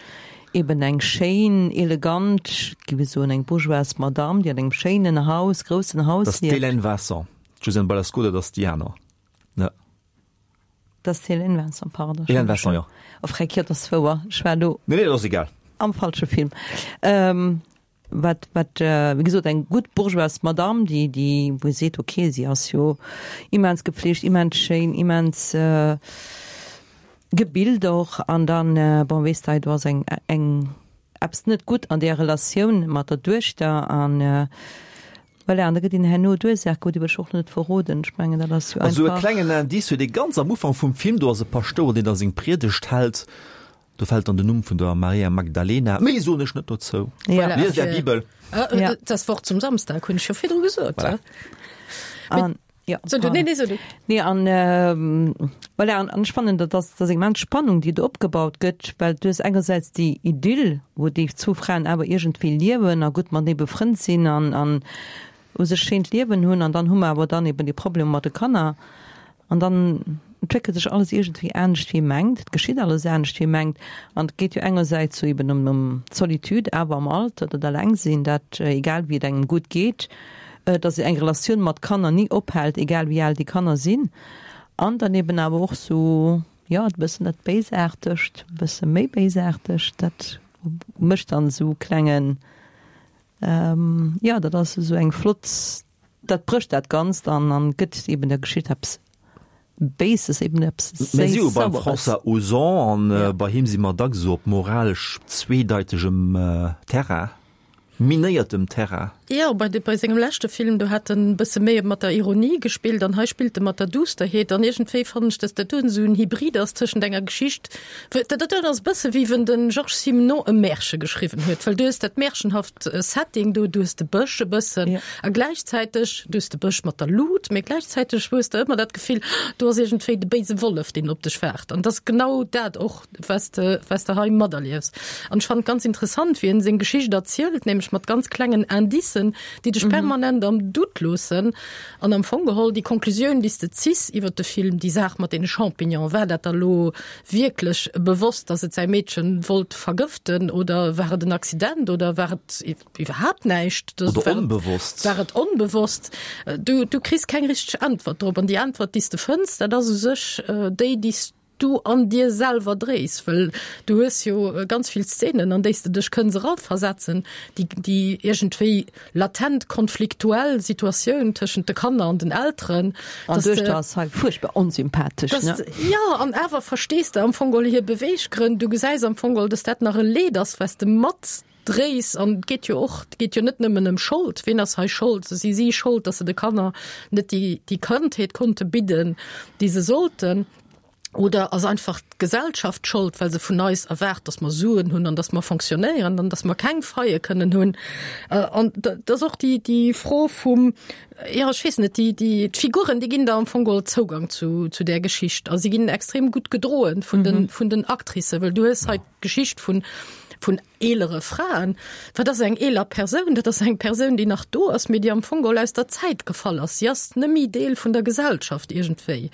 eben eng schéin, elegant, géif ech soen, eng bourgeoise Madame, déi an engem schéinen Haus, groussen Haus Dat ass lieft. d'Hélène Vincent. D'Josiane Balasko, dat ass déi aner, ne? Dat ass d'Hélène Vincent, pardon. Hélène Vincent, jo. Oh freck, jo, dat ass wouer. Ech war elo. Nee, nee, dat ass egal. Am falsche Film. Ähm, wat, wat, wéi gesot, eng gutt bourgeoise Madame, déi, déi, wou ee seet, okay, si ass jo immens gepflegt, immens schéin, immens gebilt och. An dann, bon, weess de, hei do ass eng, eng, eppes net gutt an där Relatioun mat der Duechter an, Voilà, an da gëtt een herno d'Ursaach gewuer, déi wëll ech och net verroden. Ech mengen, dat ass jo Also e einfach. klengen Indice huet ee ganz am Ufank vum Film, do ass e Paschtouer, deen da seng Priedegt hält. Do fält dann den Numm vun der Maria Magdalena. Méi soen ech net dozou. Voilà. Liest Är Bibel. Ja. Das Wort zum Samstag hunn ech jo virdru gesot. Voilà. An, ja, So, du, nee, nee, so du. Nee, an, ähm, voilà, an, an ech fannen, dat ass, dat ass eng immens Spannung, déi do opgebaut gëtt, well du hues engersäits déi Idyll, wou déi zwou Fraen awer iergendwéi liewen a gutt matenee befrënnt sinn an, an u sech schéint Liewen hunn, an dann hu mer awer dann eben déi Problemer mat de Kanner. An dann entwéckelt sech alles iergendwéi anescht wéi ee mengt, et geschitt alles anescht wéi ee mengt. An et geet jo engersäits sou eben ëm ëm d'Solitude awer am Alter, dat Allengsinn, dat egal wéi et engem gutt geet, datt eng Relatioun mat Kanner ni ophält, egal wéi al déi Kanner sinn. An dann eben awer och sou, jo, e bëssen dat Béisaartegt, e bësse méi Béisaartegt, dat mécht dann esou klengen, jo, dat ass esou eng flott Dat brécht dat Ganzt an an gëtt eben der Geschicht eppes Béises, eben eppes Mir si jo beim Séiss-Saueres. François Ozon an bei him si mer dacks esou op moralesch zweedeitegem Terrain, minéiertem Terrain. Jo, bei de, bei sengem leschte Film, do hat en e bësse méi mat der Ironie gespillt an hei spillt e mat der Duusterheet an iergendwéi fannen ech, dass dat do esou en Hybrid ass tëschent enger Geschicht, Dat dat ass e bësse wéi wenn de Georges Simenon e Märche geschriwwen huet, well du hues dat märchenhaft Setting do, du hues de Bësch e bëssen a gläichzäiteg, du hues de Bësch mat der Lut, mee gläichzäiteg hues de ëmmer dat Gefill, do ass iergendwéi de béise Wollef, deen op dech waart. An dat ass genau dat och, was de, was de hei materliefs. An ech fannen et ganz interessant, wéi en seng Geschicht erzielt, nämlech mat ganz klengen Indicen, déi dech permanent am Doute loossen. An am Fong geholl déi Konklusioun, déi s de ziss iwwert de Film, déi Saach mat deene Champignonen, war dat da lo wierklech bewosst, dass et säi Meedchen wollt vergëften oder war et en Accident oder war et iwwerhaapt näischt? Oder onbewosst. War et onbewosst? Du, du kriss keng richteg Äntwert drop. An déi Äntwert, déi s de fënns, dat ass u sech déi, déi s du an dir selwer dréis, wëll du hues jo ganz vill Szenen, an déi s de dech kënns eraversetzen, déi, déi iergendwéi latent konfliktuell Situatioun tëschent de Kanner an den Elteren. An d'Duechter ass hei fuerchtbar onsympathesch, ne? Jo, an awer verstees de am Fong geholl hir Beweeggrënn. Du gesäis am Fong geholl, dass dat nach e Leed ass, wat s de matdréis. An et geet jo och, et geet jo net nëmmen ëm Schold. Wien ass hei Schold? Si si Schold, dass se de Kanner net déi, déi Kandheet konnte bidden, déi se sollten. Oder ass einfach d'Gesellschaft schold, well se vun eis erwaart, dass mer Suen hunn an dass mer fonctionnéieren an dass mer keng Faille kënnen hunn? An dat ass och déi, déi Fro vum, jo, ech weess net, déi, déi, d'Figuren, déi ginn der am Fong geholl Zougang zu, zu där Geschicht a si ginn extrem gutt gedroen vun den, vun den Actricen, well du hues hei d'Geschicht vun, vun eelere Fraen. Wat ass eng eeler Persoun? Dat ass eng Persoun, déi nach do ass, mee déi am Fong geholl aus der Zäit gefall ass. Si ass net méi Deel vun der Gesellschaft iergendwéi.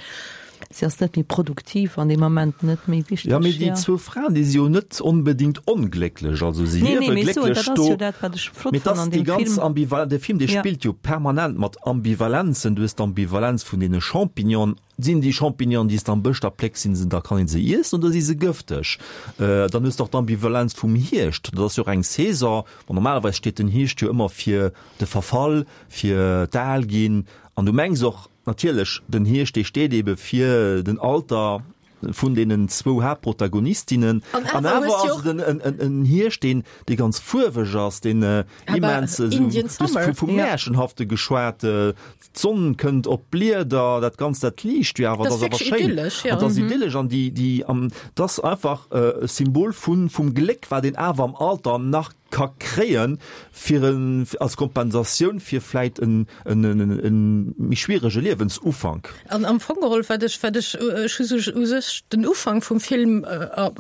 Si ass net méi produktiv an deem Ament, net méi wichteg. Jo, mee déi zwou Fraen, déi si jo net onbedéngt onglécklech. Also si Nee, nee, liewe mee ech soen, glécklech dat ass do. jo dat, wat ech flott Mee et fannen ass an déi deem ganz Film. Ambival-, de Film, dee Ja. spillt jo permanent mat Ambivalenzen. Du hues d'Ambivalenz vun deene Champignonen. Sinn déi Champignonen, déi s de am Bësch da plécks, sinn se, da kann een se iessen oder si se gëfteg? Dann hues de och d'Ambivalenz vum Hierscht. Dat ass jo och eng Saison. Bon, normalerweis steet den Hierscht jo ëmmer fir de Verfall, fir d'Alginn. An du mengs och natierlech, den Hierscht, dee steet eebe fir den Alter vun deenen zwou Haaptprotagonistinnen. An awer hues ass du och et en, en, en Hierscht, deen, dee ganz fuerweg ass, deen immens esou, Indian du hues Summer. vu, vu Märchenhafte geschwat, D'Sonn kënnt op d'Blieder, dat Ganzt, dat liicht jo awer, Dat dat ass ass awer wierklech schéin. idyllesch, ja. An dat ass idyllesch an déi, déi, an dat ass einfach e Symbol vun, vum Gléck, wat een awer am Alter nach ka kréien, fir en, als Kompensatioun fir vläit en, en, en, en méi schwierege Liewensufank. An am Fong geholl, wat ech, wat ech, ech hu sou u sech den Ufank vum Film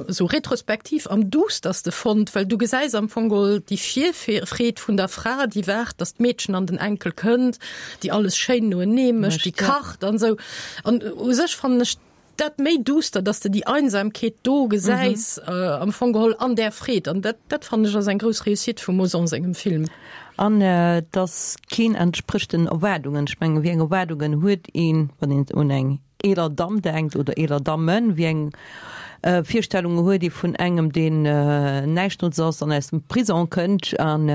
esou retrospektiv am duusterste fonnt, well du gesäis am Fong geholl déi Virfreed vun der Fra, déi waart, datt d'Meedchen an den Enkel kënnt, déi alles schéin noenee mécht, déi kacht an esou. An u sech fannen ech dat méi duuster, datt s de déi Einsamkeet do gesäis, am Fong geholl an där Freed. An dat, dat fannen ech ass eng grouss Réussite vum Ozon sengem Film. An dass keen entsprécht den Erwaardungen. Ech mengen, wéi eng Erwaardungen huet een, wann een un eng eeler Damm denkt oder eeler Dammen, wéi eng Virstellunge huet ee vun engem, deen näischtnots ass an aus dem Prison kënnt an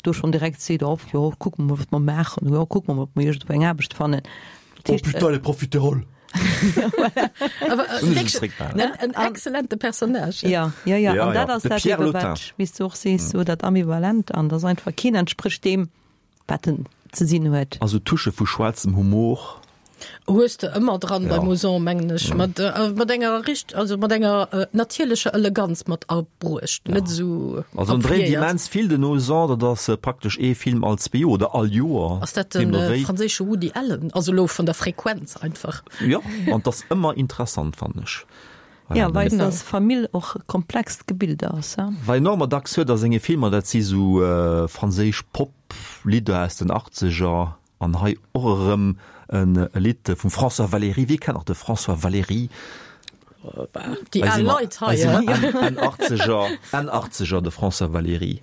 do schonn direkt seet, oh jo, kucke mer mol, wat mer maachen, jo, kucke mer mol, ob mer iergendwou eng Aarbecht fannen. Oh putain, les profiteroles! Awer en exzellente Personnage. Ja, ja, ja. An dat ass dat eben, wat, wéi s du och sees, sou dat Ambivalent an dass einfach keen entsprécht deem, wat en ze sinn huet. Also Touchë vu schwaarzem Humor. Hues de ëmmer dran beim Ozon, mengen ech, mat mat enger richt, also mat enger natierlecher Eleganz mat abruecht, net esou Also en dréint immens vill den Ozon, dat ass praktesch ee Film all zwee Joer oder all Joer. Ass dat de franséische Woody Allen, also elo vun der Frequenz einfach? Jo, an 't ass ëmmer interessant, fannen ech. Jo, well dass Famill och e komplext Gebilde ass. Wat een och ëmmer dacks huet a senge Filmer, dat si sou franséisch Pop-Lidder aus den Achtzeger. An hei och erëm e Lidd vum François Valéry. Wie kennt nach de François Valéry? Déi al Leit hei. Enn Achtzeger, Enn Achtzeger, de François Valéry.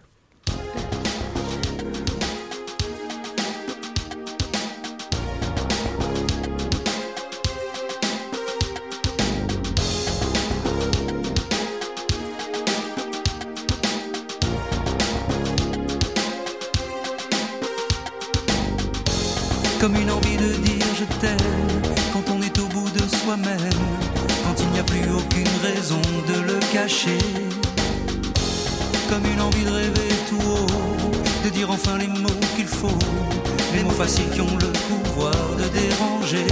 Comme une envie de dire je t'aime quand on est au bout de soi-même, quand il n'y a plus aucune raison de le cacher. Comme une envie de rêver tout haut, de dire enfin les mots qu'il faut, les mots faciles qui ont le pouvoir de déranger.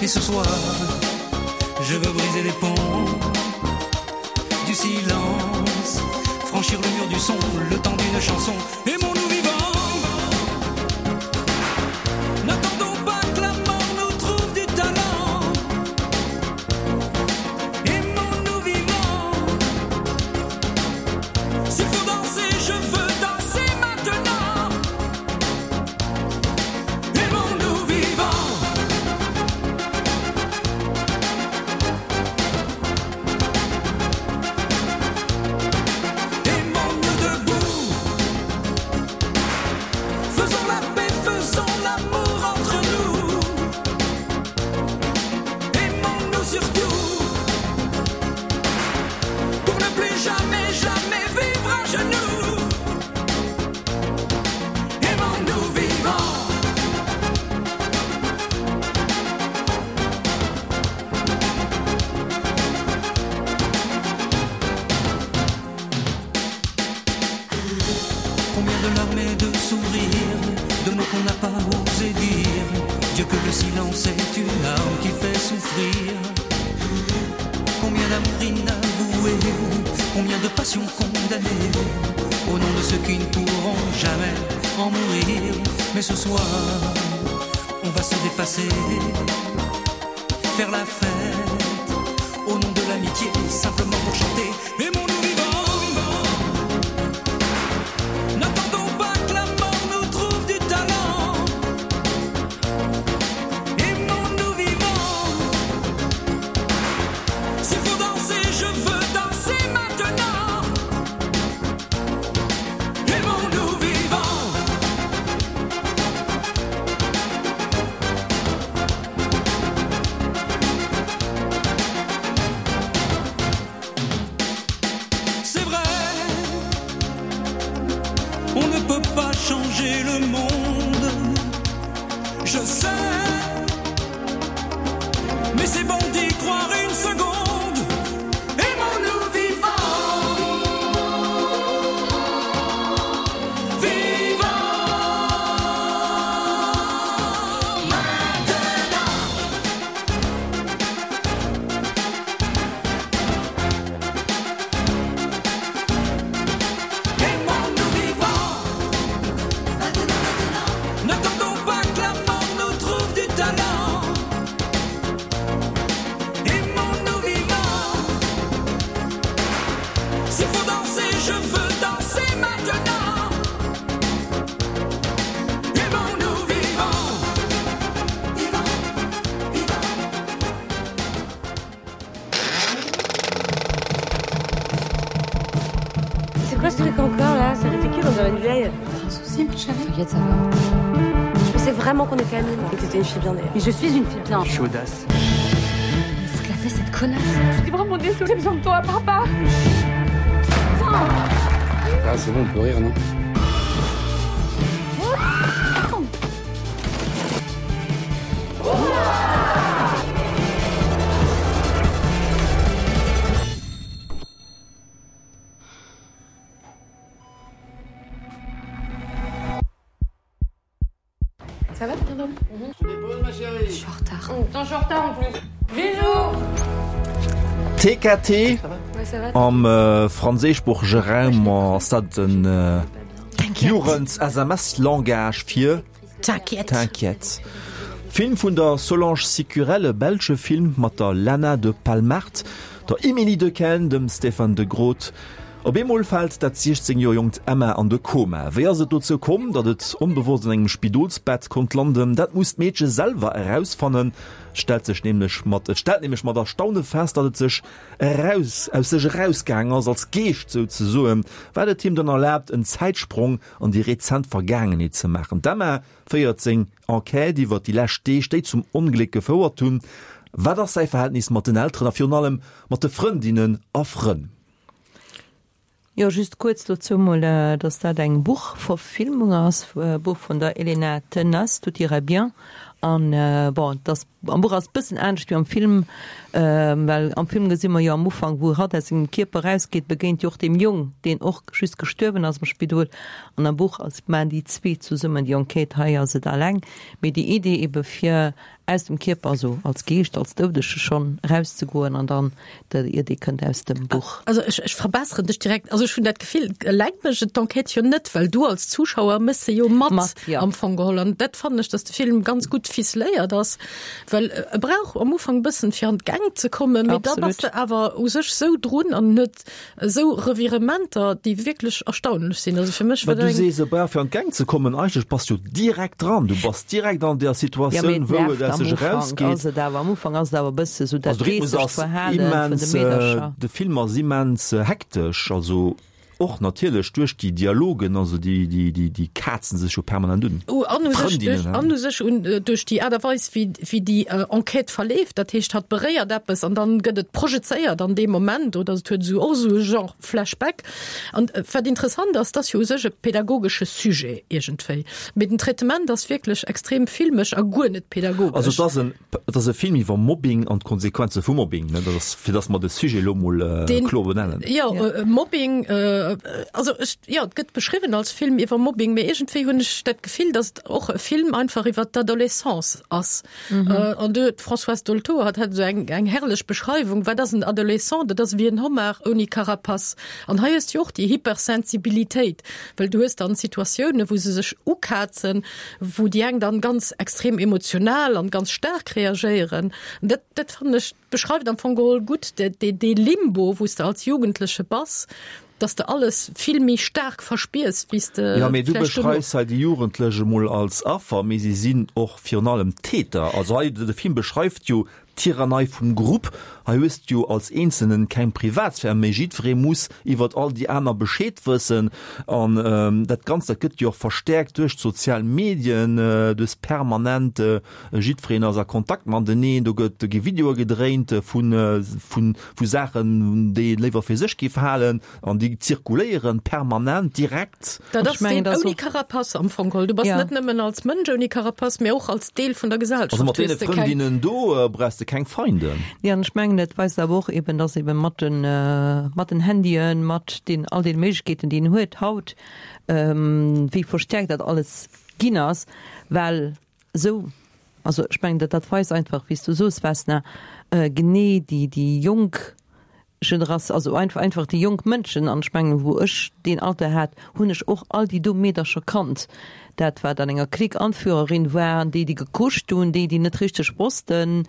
Et ce soir, je veux briser les ponts du silence, franchir le mur du son, le temps d'une chanson et mon nous vivant. N'attendons pas que la mort nous trouve du talent. Aimons-nous vivant. S'il faut danser, je veux danser maintenant. Aimons-nous vivant. Aimons-nous debout. Faisons la paix, faisons l'amour entre nous. Aimons-nous surtout. Pour ne plus jamais, jamais vivre à genoux. Aimons-nous vivants. Combien de larmes et de sourires, de mots qu'on n'a pas osé dire. Dieu que le silence est une arme qui fait souffrir. Combien d'amour inavoué, combien de passions condamnées au nom de ceux qui ne pourront jamais en mourir. Mais ce soir, on va se dépasser, faire la fête au nom de l'amitié, simplement pour chanter. Mais mon nous vivant, n'attendons pas que la mort nous trouve du talent. Aimons-nous vivant. S'il faut danser, je veux danser maintenant. Aimons-nous vivant. C'est vrai, on ne peut pas changer le monde. Je sais, mais c'est bon d'y croire une seconde. Aimons-nous vivants. Vivants maintenant. Aimons-nous vivants. N'attendons pas que la mort nous trouve du talent. Aimons-nous vivants. S'il faut danser, je veux danser maintenant. Aimons-nous vivants. Vivants, vivants. C'est quoi ce truc encore là C'est ridicule, on dirait une vieille. Un souci, ma chérie T'inquiète, ça va. Je pensais vraiment qu'on était amis, moi. Et que t'étais une fille bien d'ailleurs. Mais je suis une fille bien. Chaudasse. Mais foutre la paix, cette connasse. Je suis vraiment désolée, j'ai besoin de toi, papa. Ah, c'est bon, on peut rire, non Ça va, bien dormi mm -hmm. Je te dépose, ma chérie. Je suis en retard. Mmh, je suis en retard en plus. Bisous TKT am äh, franséischsproochege Raum ass dat den äh, Jugend-SMS-Langage fir T'inquiète. T'inquiète. Film vun der Solange Cicurel, e belsche Film mat der Lana de Palmart, der Emilie Dequenne, dem Stéphane de Groodt. Op eemol fält dat 16 Joer jonkt Emma an de Koma. Wéi ass et dozou komm, datt et onbewosst an engem Spidolsbett konnt landen? Dat muss d'Meedche selwer erausfannen. Et stellt sech nämlech mat et stellt nämlech mat Erstaune fest, datt et sech eraus aus sech erausgaang ass, als Geescht souzesoen, wat et him dann erlaabt, en Zäitsprong an déi rezent Vergaangenheet ze maachen. D'Emma féiert seng Enquête iwwer déi lescht Deeg, déi zum Ongléck gefouert hunn. Wat ass säi Verhältnis mat den Elteren a virun allem mat de Frëndinnen a Frënn? Jo, just kuerz dozou mol, dass dat eng Buchverfilmung ass, e Buch vun der Elena Tenas, Tout ira bien. An bon, et ass, am Buch ass et bëssen anescht wéi am Film, well am Film gesi mer jo am Ufank, wou hatt aus sengem Kierper erausgeet, begéint jo och deem Jong, deen och just gestuerwen ass am Spidol. An am Buch ass, maachen déi zwee zesummen déi Enquête, hei ass et alleng. Mee déi Idee ebe fir aus dem Kierper, also als Geescht, als Doudege schonn erauszegoen an dann der Idee kënnt aus dem Buch. Also ech, ech verbesseren dech direkt, also ech hunn dat Gefill, eleng mécht et d'Enquête jo net, well du als Zuschauer méchs se jo mat, mat ja. am Fong geholl. An dat fannen ech, dass de Film ganz gutt ficeléiert ass, well e brauch am Ufank e bëssen fir an d'Gäng ze kommen, mee da bass de awer u sech sou drun an huet Esou Revirementer, déi wierklech erstaunlech sinn. Also fir mech war dat eng. Du sees, e brauch fir an d'Gäng ze kommen. Eigentlech bass du direkt dran. Du bass direkt an där Situatioun, wou et aus sech erausgeet. Ass et awer, am Ufank ass et awer e bësse sou dat geeschtegt Verhale vun de Meedercher. De Film ass immens hektesch, also och natierlech duerch déi Dialogen, also déi, déi, déi, déi kazen sech jo permanent un. An u sech duerch, an u sech un duerch déi Aart a Weis, wéi, wéi déi Enquête verleeft. Dat heescht, hatt beréiert eppes an dann gëtt et projezéiert an deem Moment oder et huet esou och esou e Genre Flashback. An wat interessant ass, et ass jo u sech e pedagogesche Sujet iergendwéi, mee den Traitement ass wierklech extrem filmesch a guer net pedagogesch. Also et ass en, et ass e Film iwwer Mobbing an d'Konsequenze vu Mobbing, ne? Dat ass, fir datt mer de Sujet elo mol kloer benennen. Jo, Mobbing, also ech, jo, et gëtt beschriwwen als Film iwwer Mobbing, mee iergendwéi hunn ech dat Gefill, datt et och e Film einfach iwwer d'Adolescence ass. An du huet d'Françoise Dolto hat hat esou eng eng herrlech Beschreiwung, wat ass en Adolescent? Dat ass ewéi en Homard ouni Carapace. An hei hues du jo och déi Hypersensibilitéit, well du hues dann Situatiounen, wou se sech ukazen, wou déi eng dann ganz extrem emotional an ganz staark reagéieren. An dat dat fannen ech beschreift am Fong geholl gutt dee dee Limbo, wou s de als Jugendleche bass, dass de alles vill méi staark verspiers, wéi s de Jo, mee du beschreifs hei déi Jugendlech emol als Affer, mee si sinn och virun allem Täter. Also hei, de Film beschreift jo d'Tyrannei vum Grupp. Hei hues de jo als Eenzelnen keng Privatsphär méi, jiddweree muss iwwert all déi aner Bescheed wëssen. An dat Ganzt, dat gëtt jo och verstäerkt duerch d'sozial Medien, du hues permanent, jiddwereen ass a Kontakt mateneen, do gëtt, do gi Videoe gedréint vu, vu vu Saachen, déi een léiwer fir sech géif halen, an déi zirkuléieren permanent, direkt. Dat ass deen ouni Carapace am Fong geholl. Du bass net nëmmen als Mënsch ouni Carapace, mee och als Deel vun der Gesellschaft. Also mat deene Frëndinnen do brauchs de keng Feinden. Jo, an ech mengen, et weist awer och eben, dass eben mat den, mat den Handyen, mat den all deene Méiglechkeeten, déi een huet haut, wéi verstärkt dat alles ginn ass, well Esou, also ech mengen, dat dat weist einfach, wéi s du soos, Vesna, genee déi déi jonk Generatioun, also einfach einfach déi jonk Mënschen, an ech mengen, wou ech deen Alter hat, hunn ech och all déi do Meedercher kannt, dat wat an enger Clique Anführerin war, an déi déi gekuscht hunn, déi déi net richteg wossten,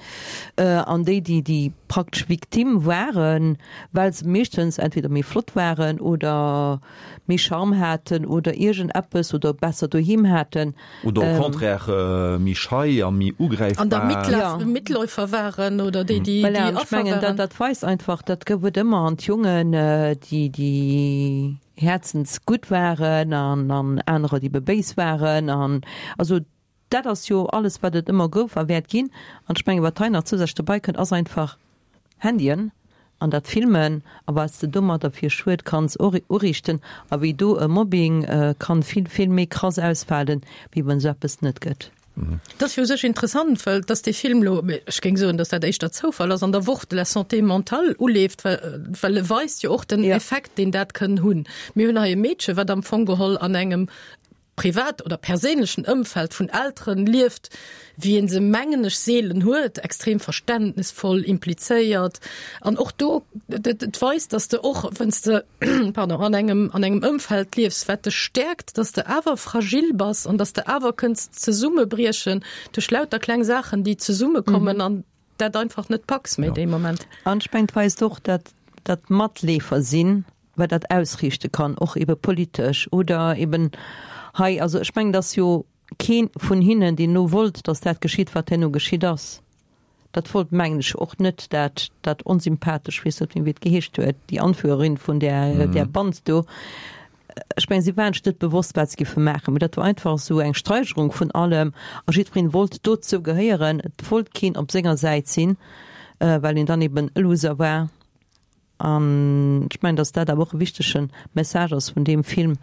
an déi déi déi praktesch Victime waren, well se meeschtens entweder méi flott waren oder méi Charme haten oder iergend eppes oder besser doheem haten. Oder au contraire méi schei a méi ugräifbar. An da Mitläufer waren oder déi, déi Voilà, an ech mengen, dat, dat weist einfach, dat gouf et ëmmer. An d'Jongen, déi, déi häerzensgutt waren an, an anerer, déi bebéis waren. An also dat ass jo alles, wat et ëmmer gouf a wäert ginn. An ech mengen, wat hei nach zousätzlech dobäi kënnt, ass einfach, Handyen an dat Filmen a wat s de domadder fir Schued kanns uriichten a wéi do e Mobbing kann vill, vill méi krass ausfalen, wéi wann esou eppes net gëtt. Dat ass jo u sech interessant, well dass dee Film elo, ech géing soen, dass dat éischter Zoufall ass, an der Woch de la Santé mentale uleeft, well e weist jo och den Effekt, deen dat kënn hunn. Mir hunn hei e Meedche wat am Fong geholl an engem. privat oder perséinlechen Ëmfeld vun Elteren lieft, wéi een se, mengen ech, seelen huet, extrem verständnesvoll, implizéiert. An och do, et weist, dass de och, wann s de, pardon, an engem, an engem Ëmfeld liefs, wat dech stäerkt, dass de awer fragil bass an dass de awer kënns zesummebriechen duerch lauter kleng Saachen, déi zesummekommen an dat einfach net packs méi dee Moment. An ech mengen, et weist och, dat dat Matleefer sinn, wat dat ausriichte kann, och ebe politesch oder eben hei. Also ech mengen, dass jo kee vun hinnen, deen elo wollt, dass dat geschitt, wat herno geschitt ass, dat wollt, mengen ech, och net dat dat onsympathesch, weess net méi wéi et geheescht huet, déi Anführerin vun där där Band do. Ech mengen, si waren sech net bewosst, wat se géife maachen, mee dat war einfach esou eng Steigerung vun allem a jiddwereen wollt dozou gehéieren. Et wollt keen op senger Säit sinn, well een dann eben e Loser war. An ech mengen, datt dat awer och e wichtege Message ass vun deem Film,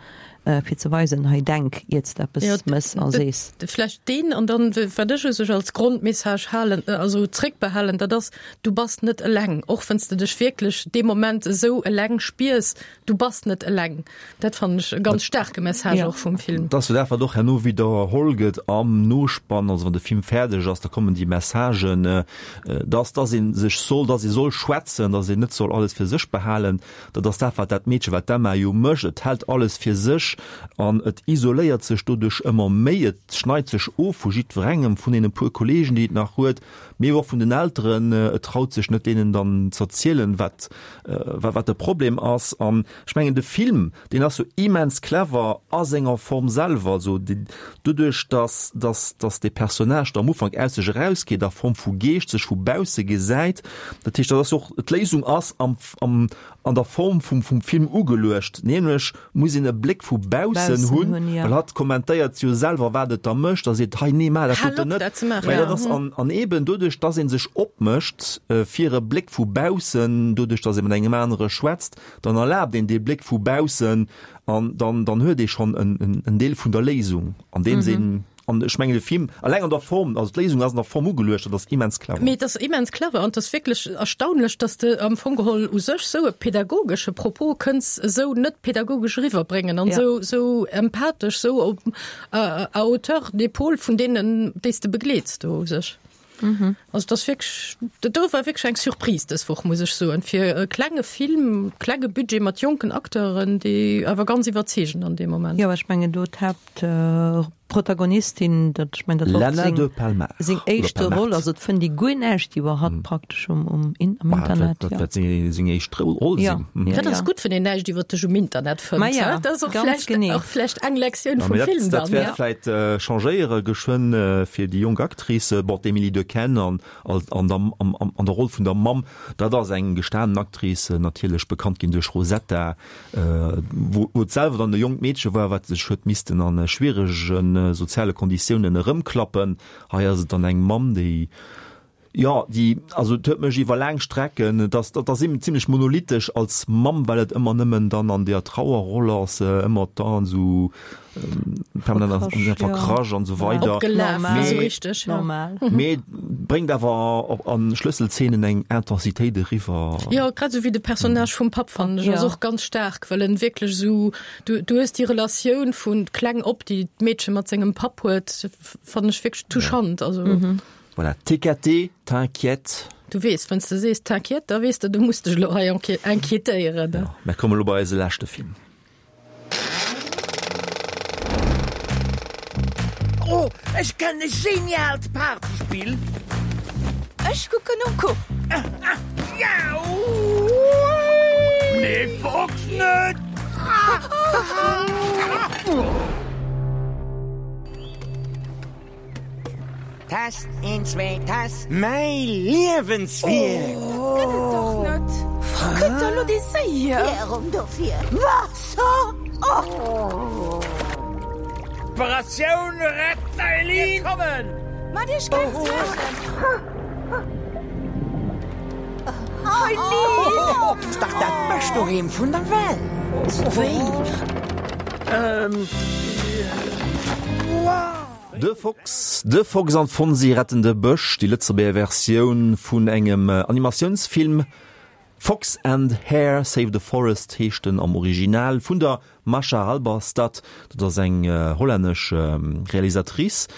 fir ze weisen, hei denk, iert s de eppes mëss a sees. Vlächtt deen, an dann, wat ech u sech als Grondmessage halen, also zréckbehalen, dat ass, Du bass net eleng, och wann s de dech wierklech dee Moment esou eleng spiers, Du bass net eleng. Dat fannen ech e ganz staarke Message och vum Film. Dat ass jo dat, wat och herno widderholl gëtt am Nospann, also wann de Film fäerdeg ass, da kommen déi Messagen, dass dass ee sech soll, dass ee soll schwätzen, dass een net soll alles fir sech behalen. Dat ass dat, wat dat Meedche, wat d'Emma jo mécht, et hält alles fir sech an et isoléiert sech doduerch ëmmer méi, et schneit sech of vu jiddwerengem, vun deene puer Kollegen, déi et nach huet, mee och vun den Elteren. Et traut sech net, deenen dann z'erzielen, wat wat de Problem ass. An ech mengen, de Film, deen ass jo immens clever a senger Form selwer, also doduerch, dass dass dass de Personnage da am Ufank aus sech erausgeet a Form vu Geescht sech vu bausse gesäit. Dat heescht, dat ass och, d'Léisung ass am am an der Form vum vum Film ugeluecht, nämlech muss een e Bléck vu baussen hunn, well hatt kommentéiert jo selwer, wat et da mécht a seet, hei nee, maach dat doten net. Mä dat ass an an eben doduerch, dass ee sech opmécht fir e Bléck vu baussen, doduerch, dass ee mat engem anere schwätzt, dann erlaabt een dee Bléck vu baussen an dann dann huet ee schonn en en Deel vun der Léisung, andeems een An ech mengen de Film, alleng an der Form, also d'Léisung ass an der Form ugeluecht, dat ass immens clever. Mee et ass immens clever an et ass wierklech erstaunlech, dass de am Fong geholl u sech esou e pädagogesche Propos kënns esou net pädagogesch eriwwerbréngen an esou, esou empathesch, esou op à hauteur d'épaule vun deenen, déi s de begleets do u sech. Also et ass wierklech, dat do war wierklech eng Surprise dës Woch, muss ech soen, fir e klenge Film, klenge Budget mat jonken Acteuren, déi awer ganz iwwerzeegen an deem Moment. Jo, ech mengen do d'Haaptprotagonistin, dat, ech mengen dat war och seng, seng éischte Roll, also et fënnt ee guer näischt iwwer hatt praktesch um, um am Internet. Dat wäert seng, seng éischt Roll sinn. Dat ass gutt, wann een näischt iwwer dech um Internet fënnt. Ma ja, dat ass och vläicht, och vläicht eng Lektioun vum Film dann. Dat wäert vläicht changéiere geschwënn fir déi jonk Actrice, bon, d'Emilie Dequenne an, an der, am, an der Roll vun der Mamm, dat ass eng gestanen Actrice, natierlech bekannt ginn duerch Rosetta, wou, wou et selwer dann e jonkt Meedche war, wat sech huet missten a schwierege soziale Konditiounen erëmklappen. Hei ass et dann eng Mamm, déi, jo, déi, also et huet mech iwwer laang Strecken, et ass, dat ass zimlech monolithisch als Mamm, well et ëmmer nëmmen dann an deer Trauerroll ass, ëmmer dann esou permanent verkrasch an esou weider. Mee bréngt awer an Schlësselzeenen eng Intensitéit eriwwer. Jo, grad esou wéi de Personnage vum Papp fannen ech ass och ganz staark, well en wierklech esou, du du hues déi Relatioun vu kleng op, déi d'Meedche mat sengem Papp huet, fannen ech wierklech touchant. Also. Voilà, TKT, t'inquiète. Du weess, wann s de sees t'inquiète, da weess de, du muss dech elo hei inquiétéieren. Jo, mer komme lo bei eise leschte Film. Oh, ech kennen e geniaalt Partyspill! Ech kucken um Kuch. Nee, Fox net! Test, een, zwee, Test. Mäi Liewenswierk! Oh, gëtt et dach net! Wou kënnt da lo dee Séi hier? Klärung dofir. Waasser! Oh! Operatioun Rett d'Eileen! Mir kommen! Maacht iech keng Suergen! Eileen! Ass dach dat bescht Doheem vun der Welt! Wéi? Ähm. Wow! De Fox, de Fox an d'Fonsi retten de Bësch, déi Lëtzebuerger Versioun vun engem Animatiounsfilm. Fox and Hare Save the Forest heescht en am Original vun der Mascha Halberstad, dat ass eng hollännesch Realisatrice.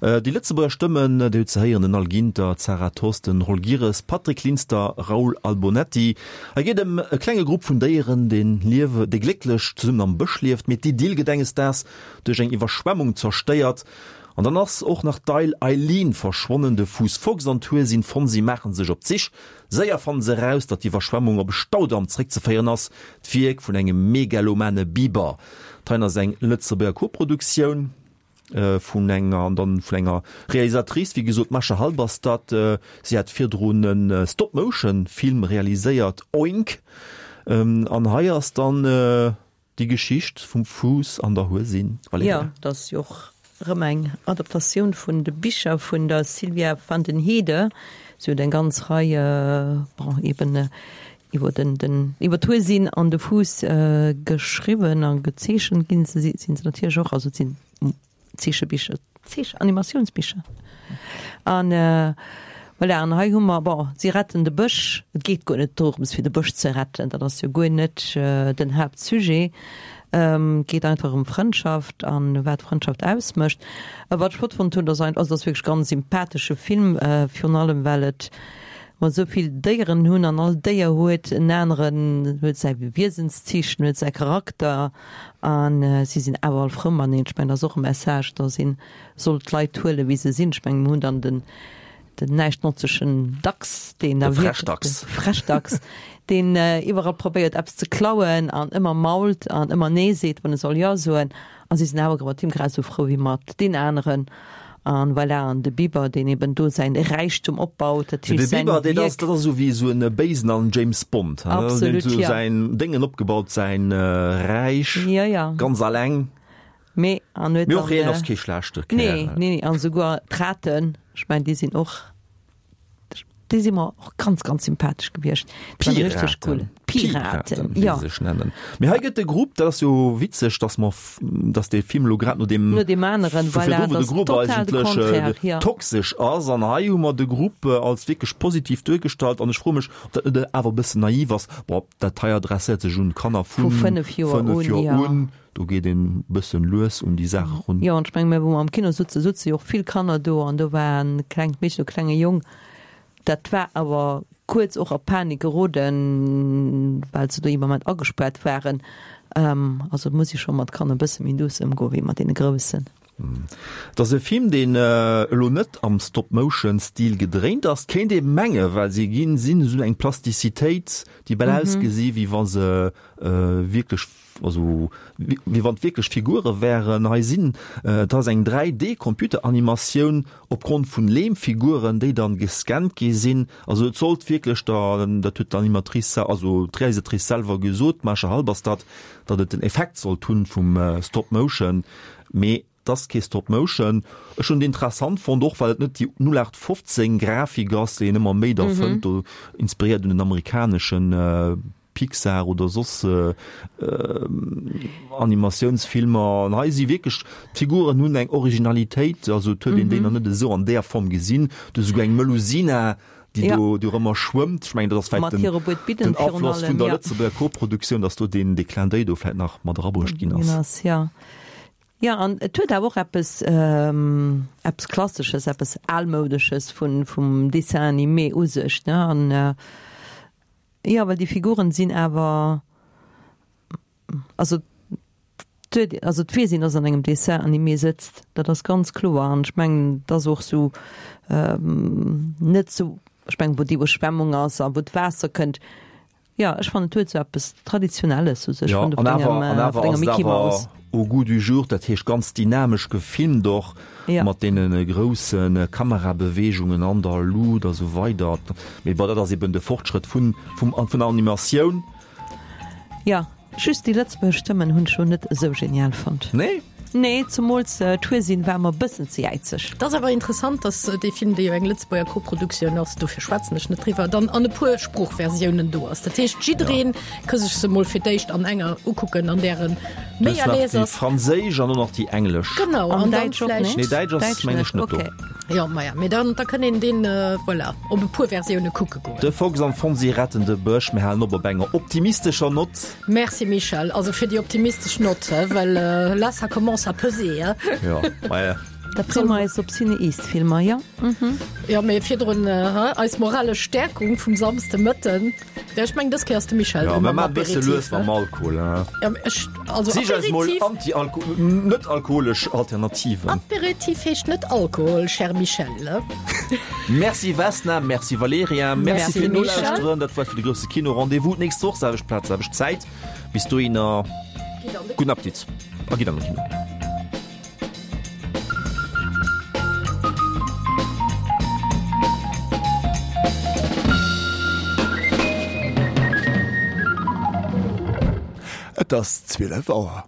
Déi Lëtzebuerger Stëmmen, déi huet ze héieren, den Al Ginter, d'Sarah Thosten, Roll Girres, Patrick Linster, Raoul Albonetti. Hei geet ëm e klenge Grupp vun Déieren, dee liewe, dee glécklech zesummen am Bësch lieft, mee d'Idyll gëtt enges Daags duerch eng Iwwerschwemmung zerstéiert. An dann ass och nach d'Eil Eileen verschwonnen. De Fuuss Fox an d'Huesin Fonsi maache sech op d'Sich. Séier fannen se eraus, datt d'Iwwerschwemmung op e Staudamm zeréckzeféieren ass, d'Wierk vun engem megalomane Biber. D'Hein ass eng Lëtzebuerger Koproduktioun vun enger an dann vun enger Realisatrice, wéi gesot d'Mascha Halberstadt. Si hat virdrun e Stop-Motion-Film realiséiert, Oink. An hei ass dann Déi Geschicht vum Fuuss an der Huesin, Valerija. Jo, dat ass jo och erëm eng Adaptatioun vun de Bicher vun der Sylvia van den Heede. Si huet eng ganz Rei, bon, eben iwwer den, den, iwwer d'Huesin an de Fuuss geschriwwen a gezeechent ginn se, sinn se natierlech och. Also et sinn Zeechebicher, Zeech Animatiounsbicher. An voilà, an hei hu mer, bon, si retten de Bësch. Et geet guer net dorëms, fir de Bësch ze retten, dat ass jo guer net den Haaptsujet. Et geet einfach ëm Frëndschaft an wat Frëndschaft ausmécht. A wat ech flott fonnt hunn, dat ass also dat ass wierklech ganz sympathesche Film, virun allem well et mer esou vill Déieren hunn an all Déier huet en aneren, huet säi Wiesenszich, huet säi Charakter. A si sinn awer all frou mateneen. Ech mengen, dat ass och e Message, dass ee soll d'Leit huelen, wéi se sinn. Ech mengen, mir hunn dann den, den näischtnotzegen Dachs, deen da De Frechdachs. Frechdachs, deen iwwerall probéiert, eppes ze klauen an ëmmer mault an ëmmer Nee seet, wann e soll Jo soen. A si sinn awer mat him grad esou frou wéi mat deen aneren. An voilà, an de Biber, deen eben do säin Räichtum opbaut, dat heescht säin Wierk. De Biber, dat ass esou wéi esou en Béisen an James Bond. Absolut, jo. Säin Déngen opgebaut, säin Räich. Jo, jo. Ganz alleng. Mee an huet dann. Mee och hien ass kee schlechte Kärel. Nee, nee, nee. An esouguer d'Raten, ech mengen, déi sinn och. Déi si mer och ganz, ganz sympathesch gewiescht. Piraten. Cool. Piraten, wéi se sech nennen. Mee hei gëtt de Grupp, dat ass jo witzeg, dass mer, dass dee Film elo grad no deem, no deem aneren, voilà, wou de Grupp eigentlech ja. toxesch ass. An hei hu mer de Grupp als wierklech positiv duergestallt. An ech froe mech, ob dat net awer e bëssen naiv ass. Bon, dat hei adresséiert sech un Kanner vu 5 Joer un, Joer un. Do geet een bëssen lues un déi Saach erun. Jo, an ech mengen, mir wou mer am Kino sutze, sutze jo och vill Kanner do an do war e klengt Meedchen, e klenge Jong, dat war awer kuerz och a Panik geroden, well se do ee Moment agespaart waren. Also et muss ee scho mat Kanner e bësse méi douce ëmgoen, wéi mat deene Groussen. Et ass e Film, deen elo net am Stop-Motion-Stil gedréint ass, kéint ee menge well se ginn, sinn esou eng Plastizitéit, déi bal ausgesi wéi wa se wierklech Also wéi wann et wierklech Figure wären. Hei sinn, et ass eng 3D Computeranimatioun opgrond vun Leemfiguren, déi dann gescannt gi sinn. Also et sollt wierklech der, dat huet d'Animatrice, also d'Realisatrice selwer gesot, d'Masha Halberstadt, datt et den Effekt sollt hunn vum Stop Motion, mee et ass kee Stop Motion. Ech hunn et interessant fonnt, och well et net déi 0815 Grafik ass, déi een ëmmer méi da fënnt, do inspiréiert un den amerikaneschen Pixar oder soss Animatiounsfilmer. An hei si wierklech, d'Figuren hunn eng Originalitéit, also et huet een déi nach net esou an där Form gesinn. Do esouguer eng Melusina, déi do dorëmmer schwëmmt. Ech mengen, dat ass vläicht den Afloss vun der Lëtzebuerger Koproduktioun, datt do deen dee Clin d'oeil do vläicht nach mat erabruecht ginn ass. Jo, an et huet awer och eppes, eppes Klassesches, eppes Almoudesches vun, vum Dessin animé u sech, ne? An Jo, well déi Figuren sinn awer, also d'huet, also et weess een, dass an engem Dessin animé sëtzt, dat ass ganz kloer. An ech mengen, et ass och sou net sou, ech mengen, wou déi Iwwerschwemmung ass a wou d'Waasser kënnt, jo, ech fannen, et huet sou eppes Traditionelles u sech vun enger Mickey Mouse. Au goût du jour, dat heescht ganz dynamesch gefilmt och, mat deene grousse Kamerabeweegungen an der Luut a sou weider. Mee bon, dat ass eben de Fortschrëtt vun, vum, vun der Animatioun. Jo, just déi lëtzebuergesch Stëmmen hunn ech lo net esou genial fonnt. Nee? Nee, zemools d'Huesin war mer e bëssen ze jäizeg. Et ass awer interessant, datt dee Film, dee jo eng Lëtzebuerger Koproduktioun ass, dofir schwätzen ech net driwwer, dann an e puer Sproochversiounen do ass. Dat heescht, jiddereen ka sech se mol fir d'éischt an enger ukucken, an där en méi à l'aise ass. Déi franséisch an och nach déi englesch. Genau, an dann vläicht. Nee, däitsch ass, meng ech, net do. Jo, maja, mee dann, da kënn een deen, voilà, op e puer Versioune kucke goen. De Fox an d'Fonsi retten de Bësch. Mir halen op op enger optimistescher Nott. Merci Michel, also fir déi optimistesch Nott, he, well là ça commence à peser, he. Jo, maja. Da freeë mer eis op Ciné-East-Filmer, jo. Jo, mee virdrun, he, eis moralesch Stäerkung vum Samsdemëtten. Ja, ech meng dës Kéier ass de Michel Ja, mir maachen e bësse lues mam Alkohol, he. Ja, ech, also Sich eis mol Aperitif. anti-alko-, net-alkoholesch Alternativen. Aperitif heescht net Alkohol, cher Michel, he. Merci Vesna, merci Valerija, merci Merci fir Michel. d'Nolauschteren. Dat war et fir de grousse Kino. Rendez-vous d'nächst Woch, selwecht Plaz, selwecht Zäit. Bis dohinner, gudden Appetit a gitt an de Kino. Et ass 12 Auer.